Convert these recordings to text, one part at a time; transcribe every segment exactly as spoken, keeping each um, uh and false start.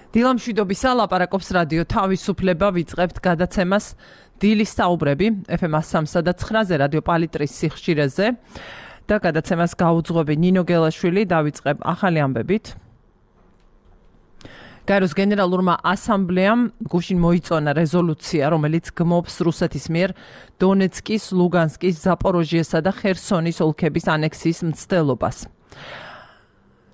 დილამშვიდობისა, ლაპარაკობს რადიო თავისუფლება, ვიწყებთ გადაცემას დილის საუბრები ეფ ემ სამსა და ცხრაზე რადიო პალიტრის სიხშირეზე და გადაცემას გაუძღვები ნინო გელაშვილი. დავიწყებ ახალი ამბებით. გაეროს გენერალურმა ასამბლეამ გუშინ მოიწონა რეზოლუცია, რომელიც გმობს რუსეთის მიერ დონეცკის, ლუგანსკის, ზაპოროჟიესა და ხერსონის ოლქების ანექსიის მცდელობას.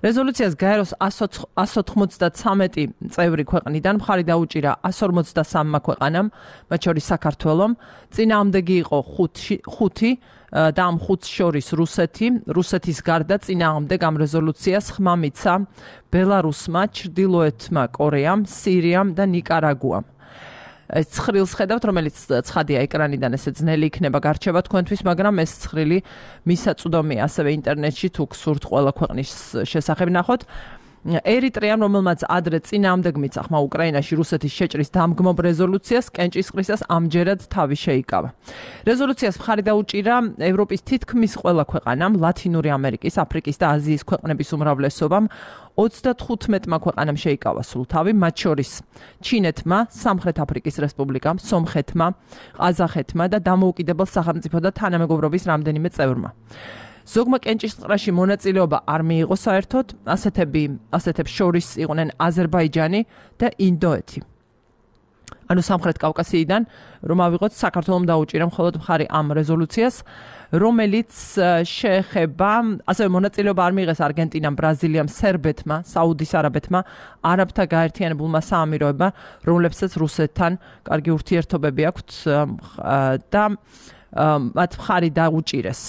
რეზოლუციას გაეროს εκατს ოცდათვრამეტი წევრი ქვეყნიდან მხარი დაუჭირა εκατს ორმოცდასამმა ქვეყანამ, მათ შორის საქართველომ. წინააღმდეგი იყო ხუთი და ამ ხუთს შორის რუსეთი. რუსეთის გარდა წინააღმდეგ ამ რეზოლუციას ხმა მიცა ბელარუსმა, ჩრდილოეთმა კორეამ, სირიამ და ნიკარაგუამ. ეს ცხრილს ხედავთ, რომელიც ცხადია ეკრანიდან, ესე ძნელი იქნება გარჩევა თქვენთვის, მაგრამ ეს ცხრილი მისაწვდომია ასევე ინტერნეტში, თუ გსურთ ყველა ქვეყნის შესახებ ნახოთ. ერიტრეამ, რომელმაც ადრე წინააღმდეგ მიცა ხმა უკრაინაში რუსეთის შეჭრის დამგმობ რეზოლუციას, კენჭისყრისას ამჯერად თავი შეიკავა. რეზოლუციას მხარი დაუჭირა ევროპის თითქმის ყველა ქვეყანამ, ლათინური ამერიკის, აფრიკის და აზიის ქვეყნების უმრავლესობამ. ოცდათხუთმეტმა ქვეყანამ შეიკავა სულ თავი, მათ შორის ჩინეთმა, სამხრეთ აფრიკის რესპუბლიკამ, სომხეთმა, ყაზახეთმა და დამოუკიდებელ სახელმწიფოთა თანამეგობრობის რამდენიმე წევრმა. ზოგმა კენჭისყრაში მონაწილეობა არ მიიღო საერთოდ, ასეთები, ასეთებს შორის იყვნენ აზერბაიჯანი და ინდოეთი. ანუ სამხრეთ კავკასიიდან, რომ ავიღოთ, საქართველომ დაუჭირა მხოლოდ მხარი ამ რეზოლუციას, რომელიც შეეხება, ასევე მონაწილეობა არ მიიღეს არგენტინამ, ბრაზილიამ, სერბეთმა, საუდის არაბეთმა, არაბთა გაერთიანებულმა საამიროებმა, რომლებსაც რუსეთთან კარგი ურთიერთობები აქვთ და მათ მხარი დაუჭირეს,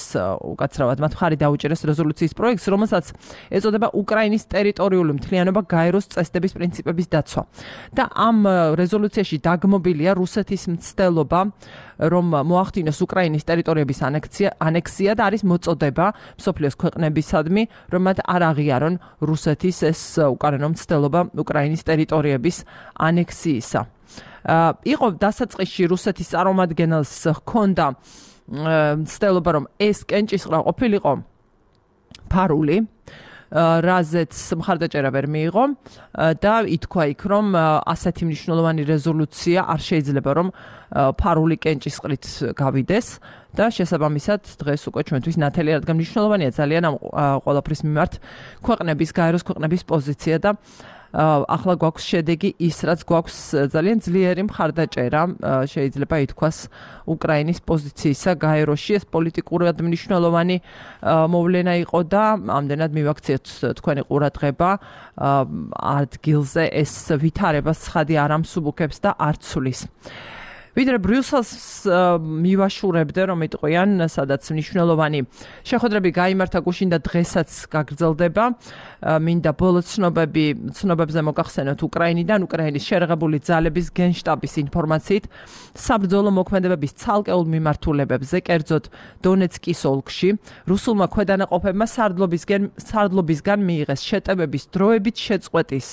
უკაცრავად, მათ მხარი დაუჭირეს რეზოლუციის პროექტს, რომელსაც ეწოდება უკრაინის ტერიტორიული მთლიანობა გაეროს წესდების პრინციპების დაცვა. და ამ რეზოლუციაში დაგმობილია რუსეთის მცდელობა, რომ მოახდინოს უკრაინის ტერიტორიების ანექსია, ანექსია და არის მოწოდება მსოფლიოს ქვეყნებისადმი, რომ მათ არ აღიარონ რუსეთის ეს უკანონო მცდელობა უკრაინის ტერიტორიების ანექსიისა. იყო დასაწყისში რუსეთის წარმომადგენელს ჰქონდა მცდელობა, რომ ეს კენჭისყრა ყოფილიყო ფარული, რაზეც მხარდაჭერა ვერ მიიღო და ითქვა იქ, რომ ასეთი მნიშვნელოვანი რეზოლუცია არ შეიძლება, რომ ფარული კენჭისყრით გავიდეს და შესაბამისად დღეს უკვე ჩვენთვის ნათელი, რადგან მნიშვნელოვანია ძალიან ამ ყველაფრის მიმართ ქვეყნების, გაეროს ქვეყნების პოზიცია და ახლა გვაქვს შედეგი ის, რაც გვაქვს ძალიან ძლიერი მხარდაჭერა, შეიძლება ითქვას უკრაინის პოზიციისა გაეროში. ეს პოლიტიკურად მნიშვნელოვანი მოვლენა იყო და ამდენად მივაქციეთ თქვენი ყურადღება ადგილზე, ეს ვითარებას ცხადი არ ამსუბუქებს და არ ცვლის. ვიდრე ბრიუსელს მივაშურებდე, რომ იტყვიან, სადაც მნიშვნელოვანი შეხვედრები გაიმართა გუშინ და დღესაც გაგრძელდება. მინდა ბოლო ცნობები, ცნობებზე მოგახსენოთ უკრაინიდან, უკრაინის შერღებული ძალების გენშტაბის ინფორმაციით, საბრძოლო მოქმედებების ცალკეულ მიმართულებებზე, კერძოდ დონეცკის ოლქში, რუსულმა ქვედანაყოფებმა სარდლობისგან, სარდლობისგან მიიღეს შეტევების დროებით შეწყვეტის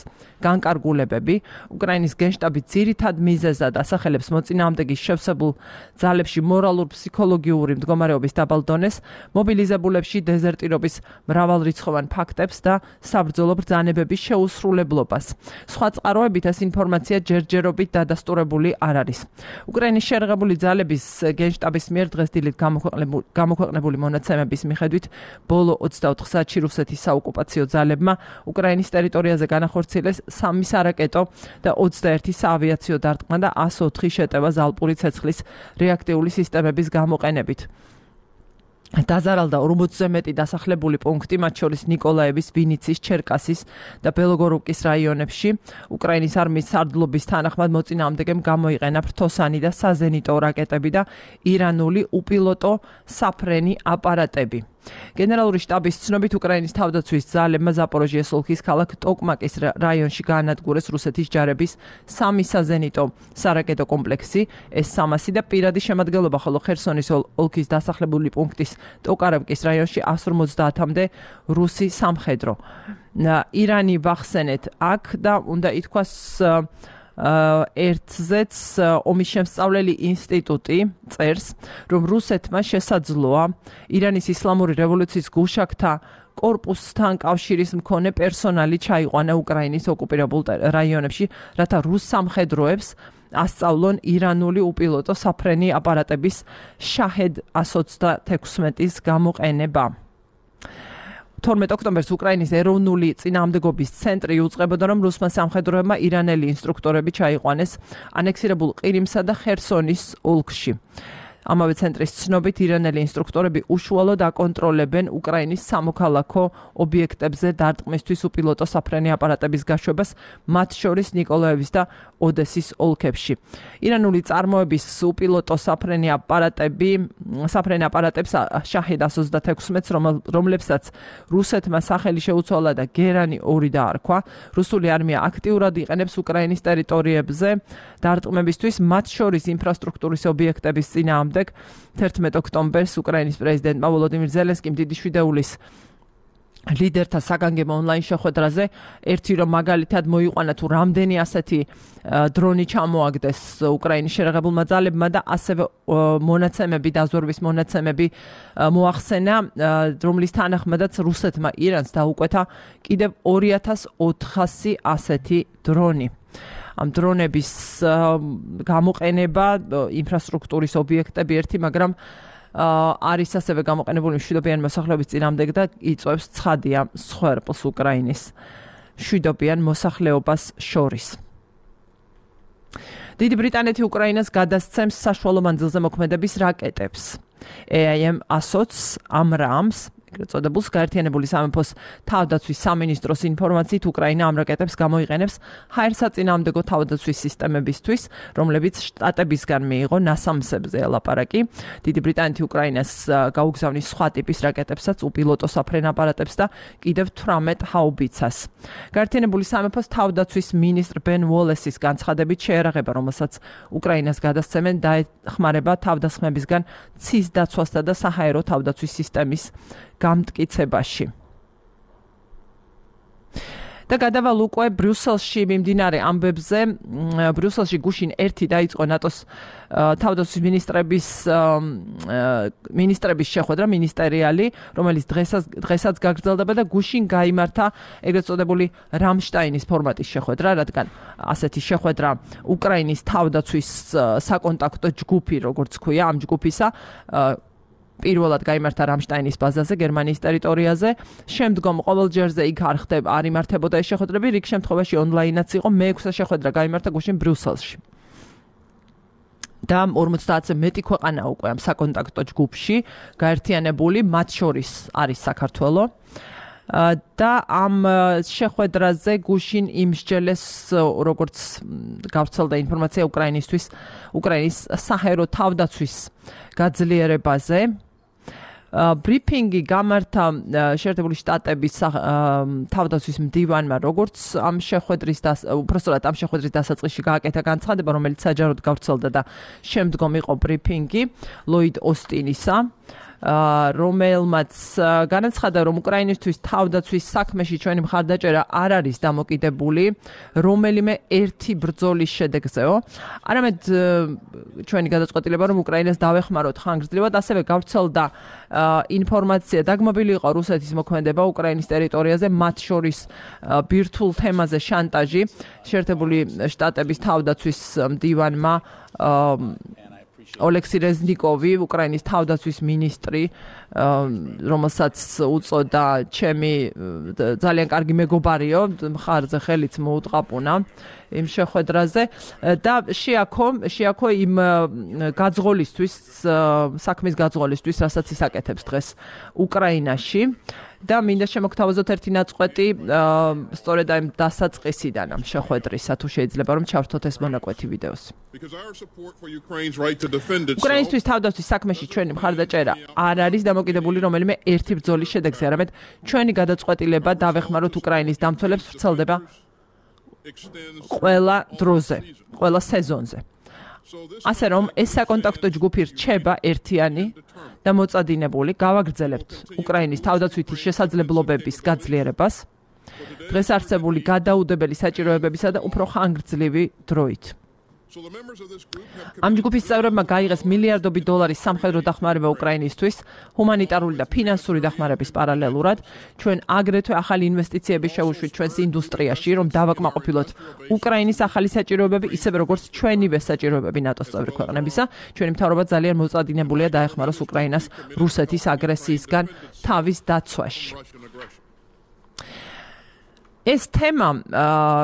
განკარგულებები. უკრაინის გენშტაბი ძირითად მიზეზად ასახელებს მოწინააღმდეგის შევსებულ ძალებში მორალურ-ფსიქოლოგიური მდგომარეობის დაბალ დონეს, მობილიზებულებში დეზერტირობის მრავალრიცხოვან ფაქტებს და საბრძოლო ბრძანებების შეუსრულებლობას. სხვა წყაროებით ეს ინფორმაცია ჯერჯერობით დადასტურებული არ არის. უკრაინის შერღებული ძალების გენშტაბის მიერ დღეს დილით გამოქვეყნებული მონაცემების მიხედვით, ბოლო ოცდაოთხ საათში რუსეთის საოკუპაციო ძალებმა უკრაინის ტერიტორიაზე განახორციელეს სამი სარაკეტო და ოცდაერთი საავიაციო დარტყმა და εκατს ოთხი შეტევა ზალპური ცეცხლის რეაქტიული სისტემების გამოყენებით. დაზარალდა ორმოცზე მეტი დასახლებული პუნქტი, მათ შორის ნიკოლაევის, ვინიცის, ჩერკასის და ბელოგოროვკის რაიონებში. უკრაინის არმიის სარდლობის თანახმად მოწინააღმდეგემ გამოიყენა ფრთოსანი და საზენიტო რაკეტები და ირანული უპილოტო საფრენი აპარატები. გენერალური შტაბის ცნობით, უკრაინის თავდაცვის ძალებმა ზაპოროჟიეს ოლქის ქალაქ ტოკმაკის რაიონში გაანადგურეს რუსეთის ჯარების სამი საზენიტო სარაკეტო კომპლექსი, ეს სამასი და პირადი შემადგენლობა, ხოლო ხერსონის ოლქის დასახლებული პუნქტის ტოკარევკის რაიონში εκατს ორმოცდაათამდე რუსი სამხედრო. ირანი ვახსენეთ აქ და უნდა ითქვას ერთზეც ომის შემსწავლელი ინსტიტუტი წერს, რომ რუსეთმა შესაძლოა ირანის ისლამური რევოლუციის გუშაგთა კორპუსთან კავშირის მქონე პერსონალი ჩაიყვანა უკრაინის ოკუპირებულ რაიონებში, რათა რუს სამხედროებს ასწავლონ ირანული უპილოტო საფრენი აპარატების შაჰედ εκατს ოცდათექვსმეტის გამოყენება. თორმეტ ოქტომბერს უკრაინის ეროვნული წინააღმდეგობის ცენტრი უწყებოდა, რომ რუსმა სამხედროებმა ირანელი ინსტრუქტორები ჩაიყვანეს ანექსირებულ ყირიმსა და ხერსონის ოლქში. ამავე ცენტრის ცნობით ირანელი ინსტრუქტორები უშუალოდ აკონტროლებენ უკრაინის სამოქალაქო ობიექტებზე დარტყმისთვის უპილოტო საფრენი აპარატების გაშვებას, მათ შორის ნიკოლაევის და ოდესის ოლქებში. ირანული წარმოების უპილოტო საფრენი აპარატები, საფრენი აპარატებს შაჰედ εκατს ოცდათექვსმეტს, რომლებსაც რუსეთმა სახელი შეუცვალა და გერანი ორი დაარქვა, რუსული არმია აქტიურად იყენებს უკრაინის ტერიტორიებზე დარტყმებისთვის, მათ შორის ინფრასტრუქტურის ობიექტების წინააღმდეგ. თერთმეტ ოქტომბერს უკრაინის პრეზიდენტმა ვოლოდიმირ ზელენსკიმ დიდი შვიდეულის ლიდერთა საგანგებო ონლაინ შეხვედრაზე ერთი რომ მაგალითად მოიყვანა თუ რამდენი ასეთი დრონი ჩამოაგდეს უკრაინის შეერაღებულმა ძალებმა და ასევე მონაცემები დაზვერვის მონაცემები მოახსენა, რომლის თანახმადაც რუსეთმა ირანს დაუკვეთა კიდევ ორი ათას ოთხასი ასეთი დრონი. ამ დრონების გამოყენება ინფრასტრუქტურის ობიექტები ერთი, მაგრამ არის ასევე გამოყენებული მშვიდობიანი მოსახლეობის წინააღმდეგ და იწვევს ცხადია მსხვერპლს უკრაინის მშვიდობიან მოსახლეობას შორის. დიდი ბრიტანეთი უკრაინას გადასცემს საშუალო მანძილზე მოქმედების რაკეტებს. A I M ASOC ამრამს წოდებულს გაერთიანებული სამეფოს თავდაცვის სამინისტროს ინფორმაციით უკრაინა ამ რაკეტებს გამოიყენებს ჰაერსაწინააღმდეგო თავდაცვის სისტემებისთვის, რომლებიც შტატებისგან მიიღო ნასამსებზე ელაპარაკი. დიდი ბრიტანეთი უკრაინას გაუგზავნის სხვა ტიპის რაკეტებსაც, უპილოტო საფრენ აპარატებს და კიდევ თვრამეტ ჰაუბიცას. გაერთიანებული სამეფოს თავდაცვის მინისტრ ბენ უოლესის განცხადებით შეერაღება, რომელსაც უკრაინას გადასცემენ, დაეხმარება თავდასხმებისგან ცის დაცვასა და საჰაერო თავდაცვის სისტემის გამტკიცებაში. და გადავალ უკვე ბრიუსელში მიმდინარე ამბებზე. ბრიუსელში გუშინ ერთი დაიწყო ნატოს თავდაცვის მინისტრების მინისტრების შეხვედრა, მინისტერიალი, რომელიც დღესაც დღესაც გაგრძელდება და გუშინ გაიმართა ეგრეთ წოდებული რამშტაინის ფორმატის შეხვედრა, რადგან ასეთი შეხვედრა უკრაინის თავდაცვის საკონტაქტო ჯგუფი, როგორც ქვია, ამ ჯგუფისა პირველად გაიმართა რამშტაინის ბაზაზე, გერმანიის ტერიტორიაზე. შემდგომ ყოველ ჯერზე იქ არ ხდება, არ იმართებოდა ეს შეხვედრები, რიგ შემთხვევაში ონლაინაც იყო. მეექვსე შეხვედრა გაიმართა გუშინ ბრიუსელში. და ორმოცდაათზე მეტი ქვეყანა უკვე ამ საკონტაქტო ჯგუფში გაერთიანებული, მათ შორის არის საქართველო. და ამ შეხვედრაზე გუშინ იმსჯელეს, როგორც გავრცელდა ინფორმაცია უკრაინისთვის, უკრაინის საჰაერო თავდაცვის გაძლიერებაზე. ბრიფინგი გამართა შეერთებული შტატების თავდაცვის მდივანმა, როგორც ამ შეხვედრის და უпростоრად ამ შეხვედრის დასაწყისში გააკეთა განცხადება, რომელიც საჯაროდ გავრცელდა და შემდგომ იყო ბრიფინგი ლოიდ ოსტინისა, რომელმაც განაცხადა, რომ უკრაინისთვის თავდაცვის საქმეში ჩვენი მხარდაჭერა არ არის დამოკიდებული რომელიმე ერთი ბრძოლის შედეგზეო, არამედ ჩვენი გადაწყვეტილება, რომ უკრაინას დავეხმაროთ ხანგრძლივად, ასევე გავრცელდა ინფორმაცია, დაგმობილი იყო რუსეთის მოქმედება უკრაინის ტერიტორიაზე, მათ შორის ბირთვულ თემაზე შანტაჟი. შეერთებული შტატების თავდაცვის მდივანმა ოლექსი რეზნიკოვი, უკრაინის თავდაცვის მინისტრი, რომელსაც უწოდა ჩემი ძალიან კარგი მეგობარიო, მხარზე ხელიც მოუტყაპუნა იმ შეხვედრაზე და შეაქო შეაქო იმ გაძღოლისთვის, საქმის გაძღოლისთვის, რასაც ის აკეთებს დღეს უკრაინაში. და მინდა შემოგთავაზოთ ერთი ნაწყვეტი სწორედ ამ დასაწყისიდან ამ შეხვედრისა, თუ შეიძლება რომ ჩავრთოთ ეს მონაკვეთი ვიდეოს. უკრაინისთვის თავდაცვის საქმეში ჩვენი მხარდაჭერა არ არის დამოკიდებული რომელიმე ერთი ბრძოლის შედეგზე, არამედ ჩვენი გადაწყვეტილება დავეხმაროთ უკრაინის დამცველებს ვრცელდება ყველა დროზე, ყველა სეზონზე. ასე რომ ეს საკონტაქტო ჯგუფი რჩება ერთიანი და მოწადინებული, გავაგრძელებთ უკრაინის თავდაცვითი შესაძლებლობების გაძლიერებას, დღეს არსებული გადაუდებელი საჭიროებებისა და უფრო ხანგრძლივი დროით. ამ ჯგუფის წევრებმა გაიღეს მილიარდობით დოლარის სამხედრო დახმარება უკრაინისთვის, ჰუმანიტარული და ფინანსური დახმარების პარალელურად. ჩვენ აგრეთვე ახალი ინვესტიციები შევუშვით ჩვენს ინდუსტრიაში, რომ დავაკმაყოფილოთ უკრაინის ახალი საჭიროებები, ისევე როგორც ჩვენივე საჭიროებები ნატოს წევრი ქვეყნებისა. ჩვენი მთავრობა ძალიან მოწადინებულია დაეხმაროს უკრაინას რუსეთის აგრესიისგან თავის დაცვაში. ეს თემა,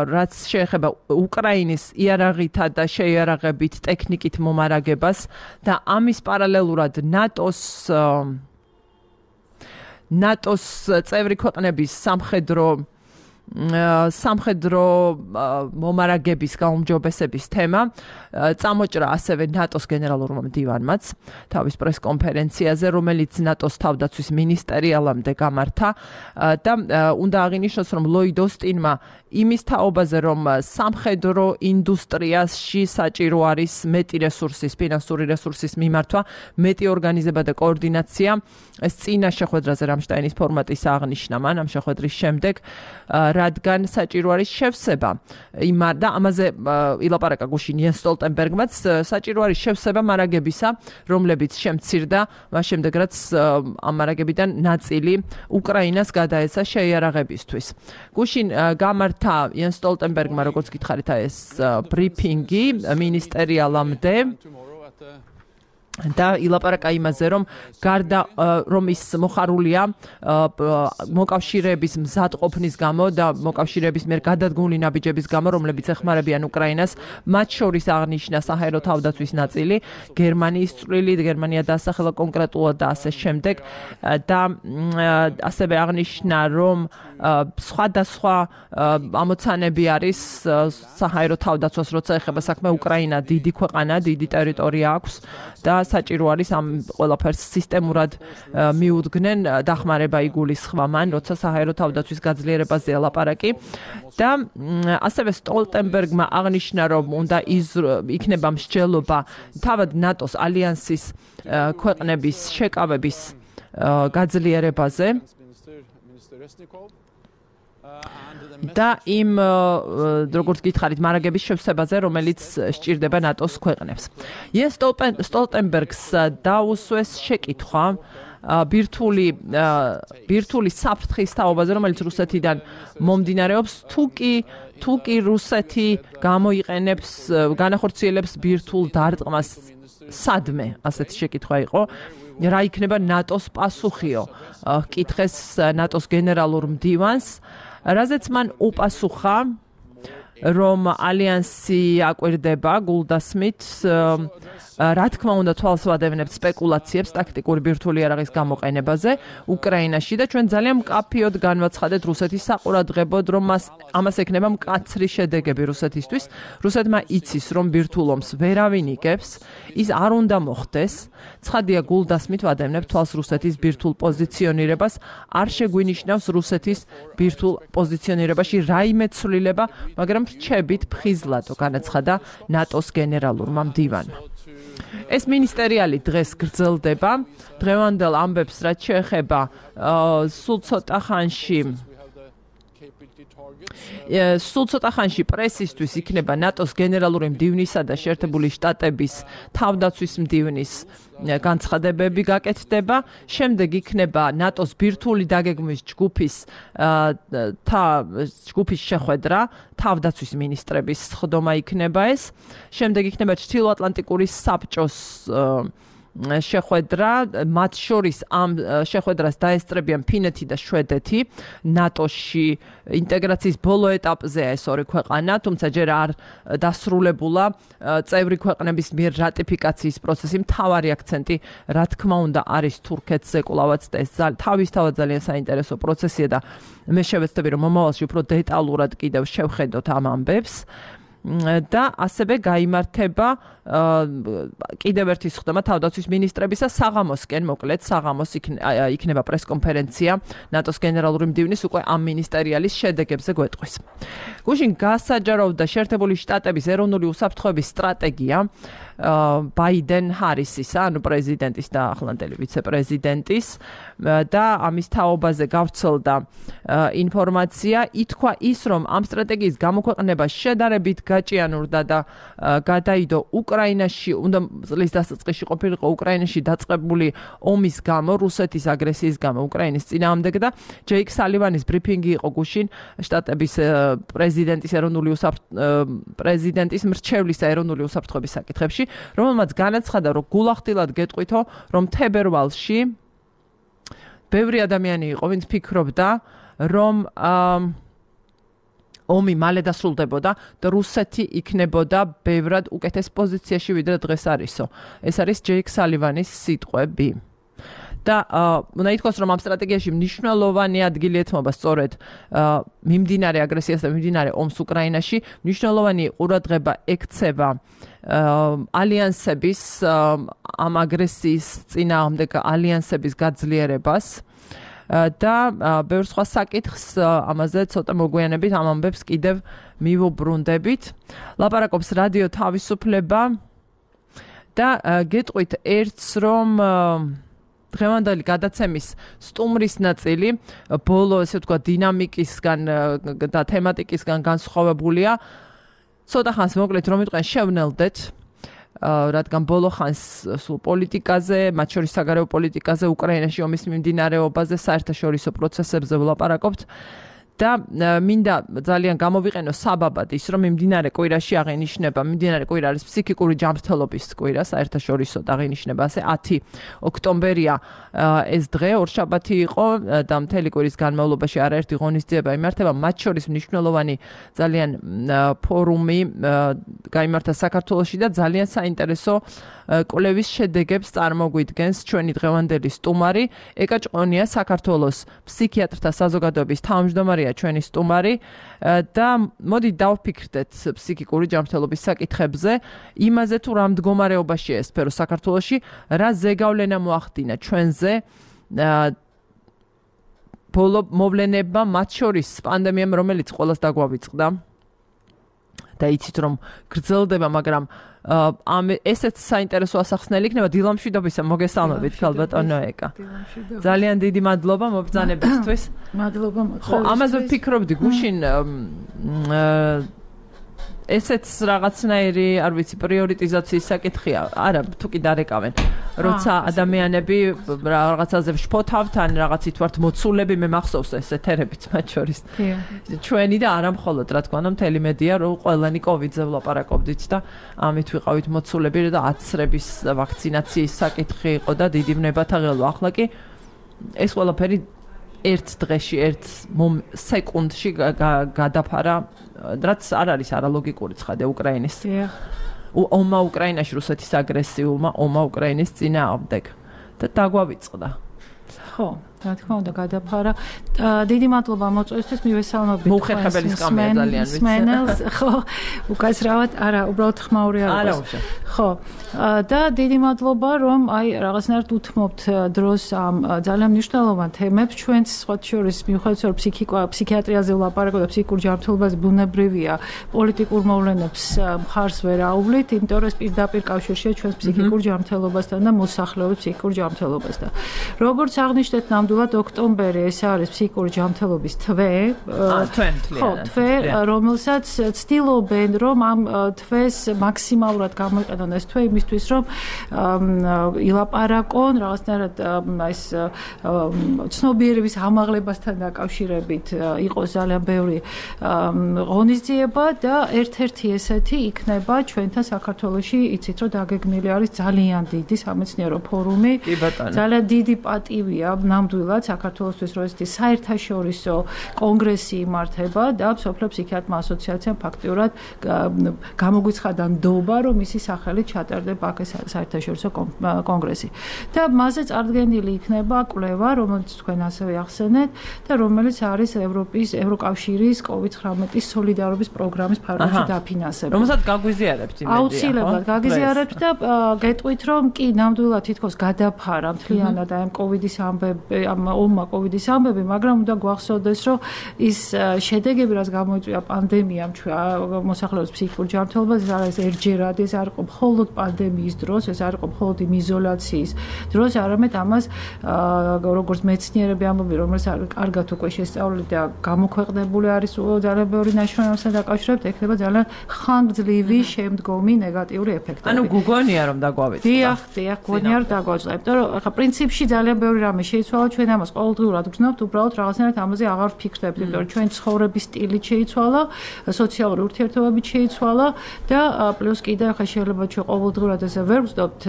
რაც შეეხება უკრაინის იარაღითა და შეიარაღებით ტექნიკით მომარაგებას და ამის პარალელურად ნატოს ნატოს წევრი ქვეყნების სამხედრო სამხედრო მომარაგების გაუმჯობესების თემა წამოჭრა ასევე ნატოს გენერალურმა მდივანმაც თავის პრესკონფერენციაზე, რომელიც ნატოს თავდაცვის მინისტერიალამდე გამართა და უნდა აღინიშნოს, რომ ლოიდ ოსტინმა იმის თაობაზე, რომ სამხედრო ინდუსტრიაში საჭირო არის მეტი რესურსის, ფინანსური რესურსის მიმართვა, მეტი ორგანიზება და კოორდინაცია, ეს წინა შეხვედრაზე რამშტაინის ფორმატის აღნიშნა მან ამ შეხვედრის შემდეგ, რადგან საჭირო არის შევსება იმ და ამაზე ილაპარაკა გუშინ იენს სტოლტენბერგმაც, საჭირო არის შევსება მარაგებისა, რომლებიც შემცირდა მას შემდეგ, რაც ამ მარაგებიდან ნაწილი უკრაინას გადაეცა შეიარაღებისთვის. გუშინ გამართა იენს სტოლტენბერგმა, როგორც გითხარით, ეს ბრიფინგი მინისტერიალამდე და ილაპარაკა იმაზე, რომ გარდა რომ ის მოხარულია მოკავშირეების მზადყოფნის გამო და მოკავშირეების მიერ გადადგმული ნაბიჯების გამო, რომლებიც ეხმარებიან უკრაინას, მათ შორის აღნიშნა საჰაერო თავდაცვის ნაწილი, გერმანიის წვლილი, გერმანია დაასახელა კონკრეტულად და ასე შემდეგ და ასევე აღნიშნა, რომ სხვადასხვა ამოცანები არის საჰაერო თავდაცვას, როცა ეხება საქმე უკრაინა დიდი ქვეყანა, დიდი ტერიტორია აქვს და საჭირო არის ამ ყველაფერს სისტემურად მიუდგნენ, დახმარება იგულისხმა მან, როცა საჰაერო თავდაცვის გაძლიერებაზე ლაპარაკი და ასევე სტოლტენბერგმა აღნიშნა, რომ უნდა იქნება მსჯელობა თავად ნატოს ალიანსის ქვეყნების შეკავების გაძლიერებაზე და იმ როგორც გითხარით მარაგების შევსებაზე, რომელიც სჭირდება ნატოს ქვეყნებს. იენს სტოლტენბერგს დაუსვეს შეკითხვა ბირთვული ბირთვული საფრთხის თაობაზე, რომელიც რუსეთიდან მომდინარეობს, თუ კი თუ კი რუსეთი გამოიყენებს განახორციელებს ბირთვულ დარტყმას სადმე, ასეთი შეკითხვა იყო. რა იქნება ნატოს პასუხიო? კითხეს ნატოს გენერალურ მდივანს, რაზეც მან უპასუხა, რომ ალიანსი აკვირდება გულდასმით, რა თქმა უნდა თვალს ვადევნებთ სპეკულაციებს ტაქტიკური ბირთვული იარაღის გამოყენებაზე უკრაინაში და ჩვენ ძალიან მკაფიოდ განვაცხადეთ რუსეთის საყურადღებოდ, რომ მას ამას ექნება მკაცრი შედეგები რუსეთისთვის. რუსეთმა იცის, რომ ბირთვულ ომს ვერავინ იგებს, ის არ უნდა მოხდეს. ცხადია, გულდასმით ვადევნებთ თვალს რუსეთის ბირთვულ პოზიციონირებას, არ შეგვინიშნავს რუსეთის ბირთვულ პოზიციონირებაში რაიმე ცვლილება, მაგრამ რჩებით ფხიზლადო, განაცხადა ნატოს გენერალურმა მდივანმა. ეს მინისტერიალი დღეს გრძელდება. დღევანდელ ამბებს, რაც შეეხება სულ ცოტა ხანში სულ ცოტა ხანში პრესისთვის იქნება ნატოს გენერალური მდივნისა და შეერთებული შტატების თავდაცვის მდივნის განცხადებები გაკეთდება. შემდეგ იქნება ნატოს ბირთვული დაგეგმვის ჯგუფის და ჯგუფის შეხვედრა, თავდაცვის მინისტრების სხდომა იქნება ეს. შემდეგ იქნება ჩრდილოატლანტიკური საბჭოს შეხვედრა, მათ შორის ამ შეხვედრას დაესწრებიან ფინეთი და შვედეთი, ნატოში ინტეგრაციის ბოლო ეტაპზეა ეს ორი ქვეყანა, თუმცა ჯერ არ დასრულებულა წევრი ქვეყნების მიერ რატიფიკაციის პროცესი. მთავარი აქცენტი, რა თქმა უნდა, არის თურქეთზე კვლავაც და ეს თავისთავად ძალიან საინტერესო პროცესია და მე შევეცდები, რომ მომავალში უფრო დეტალურად კიდევ შევხედოთ ამ ამბებს. და ასევე გაიმართება კიდევ ერთი სხდომა თავდაცვის მინისტრებისა საღამოსკენ, მოკლედ საღამოს იქნება პრესკონფერენცია ნატოს გენერალური მდივნის უკვე ამ მინისტერიალის შედეგებზე გვეტყვის. გუშინ გასაჯაროვდა შეერთებული შტატების ეროვნული უსაფრთხოების სტრატეგია ბაიდენ ჰარისისა, ანუ პრეზიდენტის და ახლანდელი ვიცე-პრეზიდენტის და ამის თაობაზე გავრცელდა ინფორმაცია. ითქვა ის, რომ ამ სტრატეგიის გამოქვეყნება შედარებით გაჭიანურდა და გადაიდო უკრაინაში, უნდა წლის დასაწყისში ყოფილიყო უკრაინაში დაწყებული ომის გამო, რუსეთის აგრესიის გამო უკრაინის წინააღმდეგ და ჯეიკ სალივანის ბრიფინგი იყო გუშინ შტატების პრეზიდენტის ეროვნული პრეზიდენტის მრჩევლის ეროვნული უსაფრთხოების საკითხებში, რომელმაც განაცხადა, რომ გულახდილად გეტყვითო, რომ თებერვალში ბევრი ადამიანი იყო, ვინც ფიქრობდა, რომ ომი მალე დასრულდებოდა და რუსეთი იქნებოდა ბევრად უკეთეს პოზიციაში, ვიდრე დღეს არისო. ეს არის ჯეიკ სალივანის სიტყვები. და უნდა ითქვას, რომ ამ სტრატეგიაში მნიშვნელოვანი ადგილი ეთმობა სწორედ მიმდინარე აგრესიას და მიმდინარე ომს უკრაინაში, მნიშვნელოვანი ყურადღება ექცევა ალიანსების ამ აგრესიის წინააღმდეგ ალიანსების გაძლიერებას და ბევრ სხვა საკითხს ამაზე ცოტა მოგვიანებით ამ ამბებს კიდევ მივუბრუნდებით. ლაპარაკობს რადიო თავისუფლება და გეტყვით ერთს, რომ დღევანდელი გადაცემის სტუმრის ნაწილი ბოლო ესე ვთქვა დინამიკისგან და თემატიკისგან განსხვავებულია. ცოტა ხანს მოკლედ რომ ვიტყვენ შევნელდეთ, რადგან ბოლო ხანს სულ პოლიტიკაზე, მათ შორის საგარეო პოლიტიკაზე, უკრაინაში ომის მიმდინარეობაზე, საერთაშორისო პროცესებზე ვლაპარაკობთ და მინდა ძალიან გამოვიყენო საბაბად ის, რომ მიმდინარე კვირაში აღინიშნება, მიმდინარე კვირა არის ფსიქიკური ჯანმრთელობის კვირა, საერთაშორისო აღინიშნება, ასე ათი ოქტომბერია ეს დღე, ორშაბათი იყო და მთელი კვირის განმავლობაში არაერთი ღონისძიება იმართება, მათ შორის მნიშვნელოვანი ძალიან ფორუმი გაიმართა საქართველოში და ძალიან საინტერესო კვლევის შედეგებს წარმოგვიდგენს ჩვენი დღევანდელი სტუმარი, ეკა ჭყონია, საქართველოს ფსიქიატრთა საზოგადოების თავმჯდომარეა ჩვენი სტუმარი და მოდი დავფიქრდეთ ფსიქიკური ჯანმრთელობის საკითხებზე, იმაზე თუ რა მდგომარეობაშია ეს სფერო საქართველოში, რა ზეგავლენა მოახდინა ჩვენზე ბოლო მოვლენებმა, მათ შორის პანდემიამ, რომელიც ყველას დაგვავიწყდა და იცით რომ გრძელდება, მაგრამ ამ ესეც საინტერესო ასახსნელი იქნება. დილამშვიდობისა, მოგესალმებით ქალბატონო ეკა. ძალიან დიდი მადლობა მობრძანებისთვის. მადლობა მოწვევისთვის. ხო, ამაზე ვფიქრობდი გუშინ ესეც რაღაცნაირი, არ ვიცი, პრიორიტიზაციის საკითხია. არა, თუ კი დარეკავენ. როცა ადამიანები რაღაცაზე შფოთავთ, ან რაღაცით ვართ მოცულები, მე მახსოვს ეს ეთერებიც მათ შორის. ჩვენი და არა მხოლოდ, რა თქმა უნდა, მთელი მედია, რომ ყველანი კოვიდზე ვლაპარაკობდით და ამით ვიყავით მოცულები და აცრების ვაქცინაციის საკითხი იყო და დიდი ვნებათა ღელვა. ახლა კი ეს ყველაფერი ერთ დღეში, ერთ სეკუნდში გადაფარა, რაც არ არის არალოგიკური ცხადე უკრაინის. ომმა უკრაინაში, რუსეთის აგრესიულმა ომმა უკრაინის წინააღმდეგ და დაგვავიწყდა. ხო, რა თქმა უნდა, გადაფარა. დიდი მადლობა მოწვევისთვის, მივესალმებით. მოუხერხებელი სკამია ძალიან ვიცი. მსმენელს, ხო, უკაცრავად, არა, უბრალოდ ხმაური არ არის. ხო. და დიდი მადლობა, რომ აი რაღაცნაირად უთმობთ დროს ამ ძალიან მნიშვნელოვან თემებს. ჩვენც სხვა შორის მიუხედავად რომ ფსიქიატრიაზე ვლაპარაკობთ და ფსიქიკურ ჯანმრთელობაზე ბუნებრივია, პოლიტიკურ მოვლენებს მხარს ვერ აუვლით, იმიტომ რომ ეს პირდაპირ კავშირშია ჩვენს ფსიქიკურ ჯანმრთელობასთან და მოსახლეობის ფსიქიკურ ჯანმრთელობასთან. როგორც აღნიშნეთ, ნამდვილად ოქტომბერი ეს არის ფსიქიკური ჯანმრთელობის თვე. ხო, თვე, რომელსაც ცდილობენ, რომ ამ თვეს მაქსიმალურად გამოიყენონ ეს თვე იმისთვის, რომ ილაპარაკონ რაღაცნაირად ეს ცნობიერების ამაღლებასთან დაკავშირებით იყოს ძალიან ბევრი ღონისძიება და ერთ-ერთი ესეთი იქნება ჩვენთან საქართველოში, იცით რომ დაგეგმილი არის ძალიან დიდი სამეცნიერო ფორუმი. ძალიან დიდი პატივია ნამდვილად საქართველოსთვის, რომ ესეთი საერთაშორისო კონგრესი იმართება და მსოფლიო ფსიქიატრთა ასოციაციამ ფაქტიურად გამოგვიცხადა ნდობა, რომ მისი სახელით ჩატარდება აქ ეს საერთაშორისო კონგრესი. და მასზე წარდგენილი იქნება კვლევა, რომელიც თქვენ ასევე ახსენეთ და რომელიც არის ევროპის ევროკავშირის კოვიდ ცხრამეტის სოლიდარობის პროგრამის ფარგლებში დაფინანსებული. რომელსაც გაგვიზიარებთ იმედია. აუცილებლად გაგიზიარებთ და გეტყვით, რომ კი ნამდვილად თითქოს გადაფარა მთლიანად აი ამ კოვიდის ამბები, ამ ომმა კოვიდის ამბები, მაგრამ უნდა გვახსოვდეს, რომ ის შედეგები, რაც გამოიწვია პანდემიამ ჩვენ მოსახლეობის ფსიქიკურ ჯანმრთელობას, ეს არის ერთჯერადი, ეს არ იყო მხოლოდ პანდემიის დროს, ეს არ იყო მხოლოდ იმ იზოლაციის დროს, არამედ ამას როგორც მეცნიერები ამბობენ, რომელსაც კარგად უკვე შესწავლილი და გამოქვეყნებული არის ძალიან ბევრი ნაშრომებთან დაკავშირებით, ექნება ძალიან ხანგრძლივი შემდგომი ნეგატიური ეფექტები. ანუ გუგონია რომ დაგვავიწყდა. დიახ, დიახ, გუგონია რომ დაგვავიწყდა. იმიტომ რომ ახლა პრინციპში ძალიან ბევრი რამე შეიცვალა, ჩვენ ამას ყოველდღიურად გრძნობთ, უბრალოდ რაღაცნაირად ამაზე აღარ ვფიქრდებთ, იმიტომ რომ ჩვენ ცხოვრების სტილით შეიცვალა, სოციალური ურთიერთობებით შეიცვალა და პლუს კიდე ახლა შეიძლება ჩვენ ყოველდღიურად ესე ვერ ვწდობთ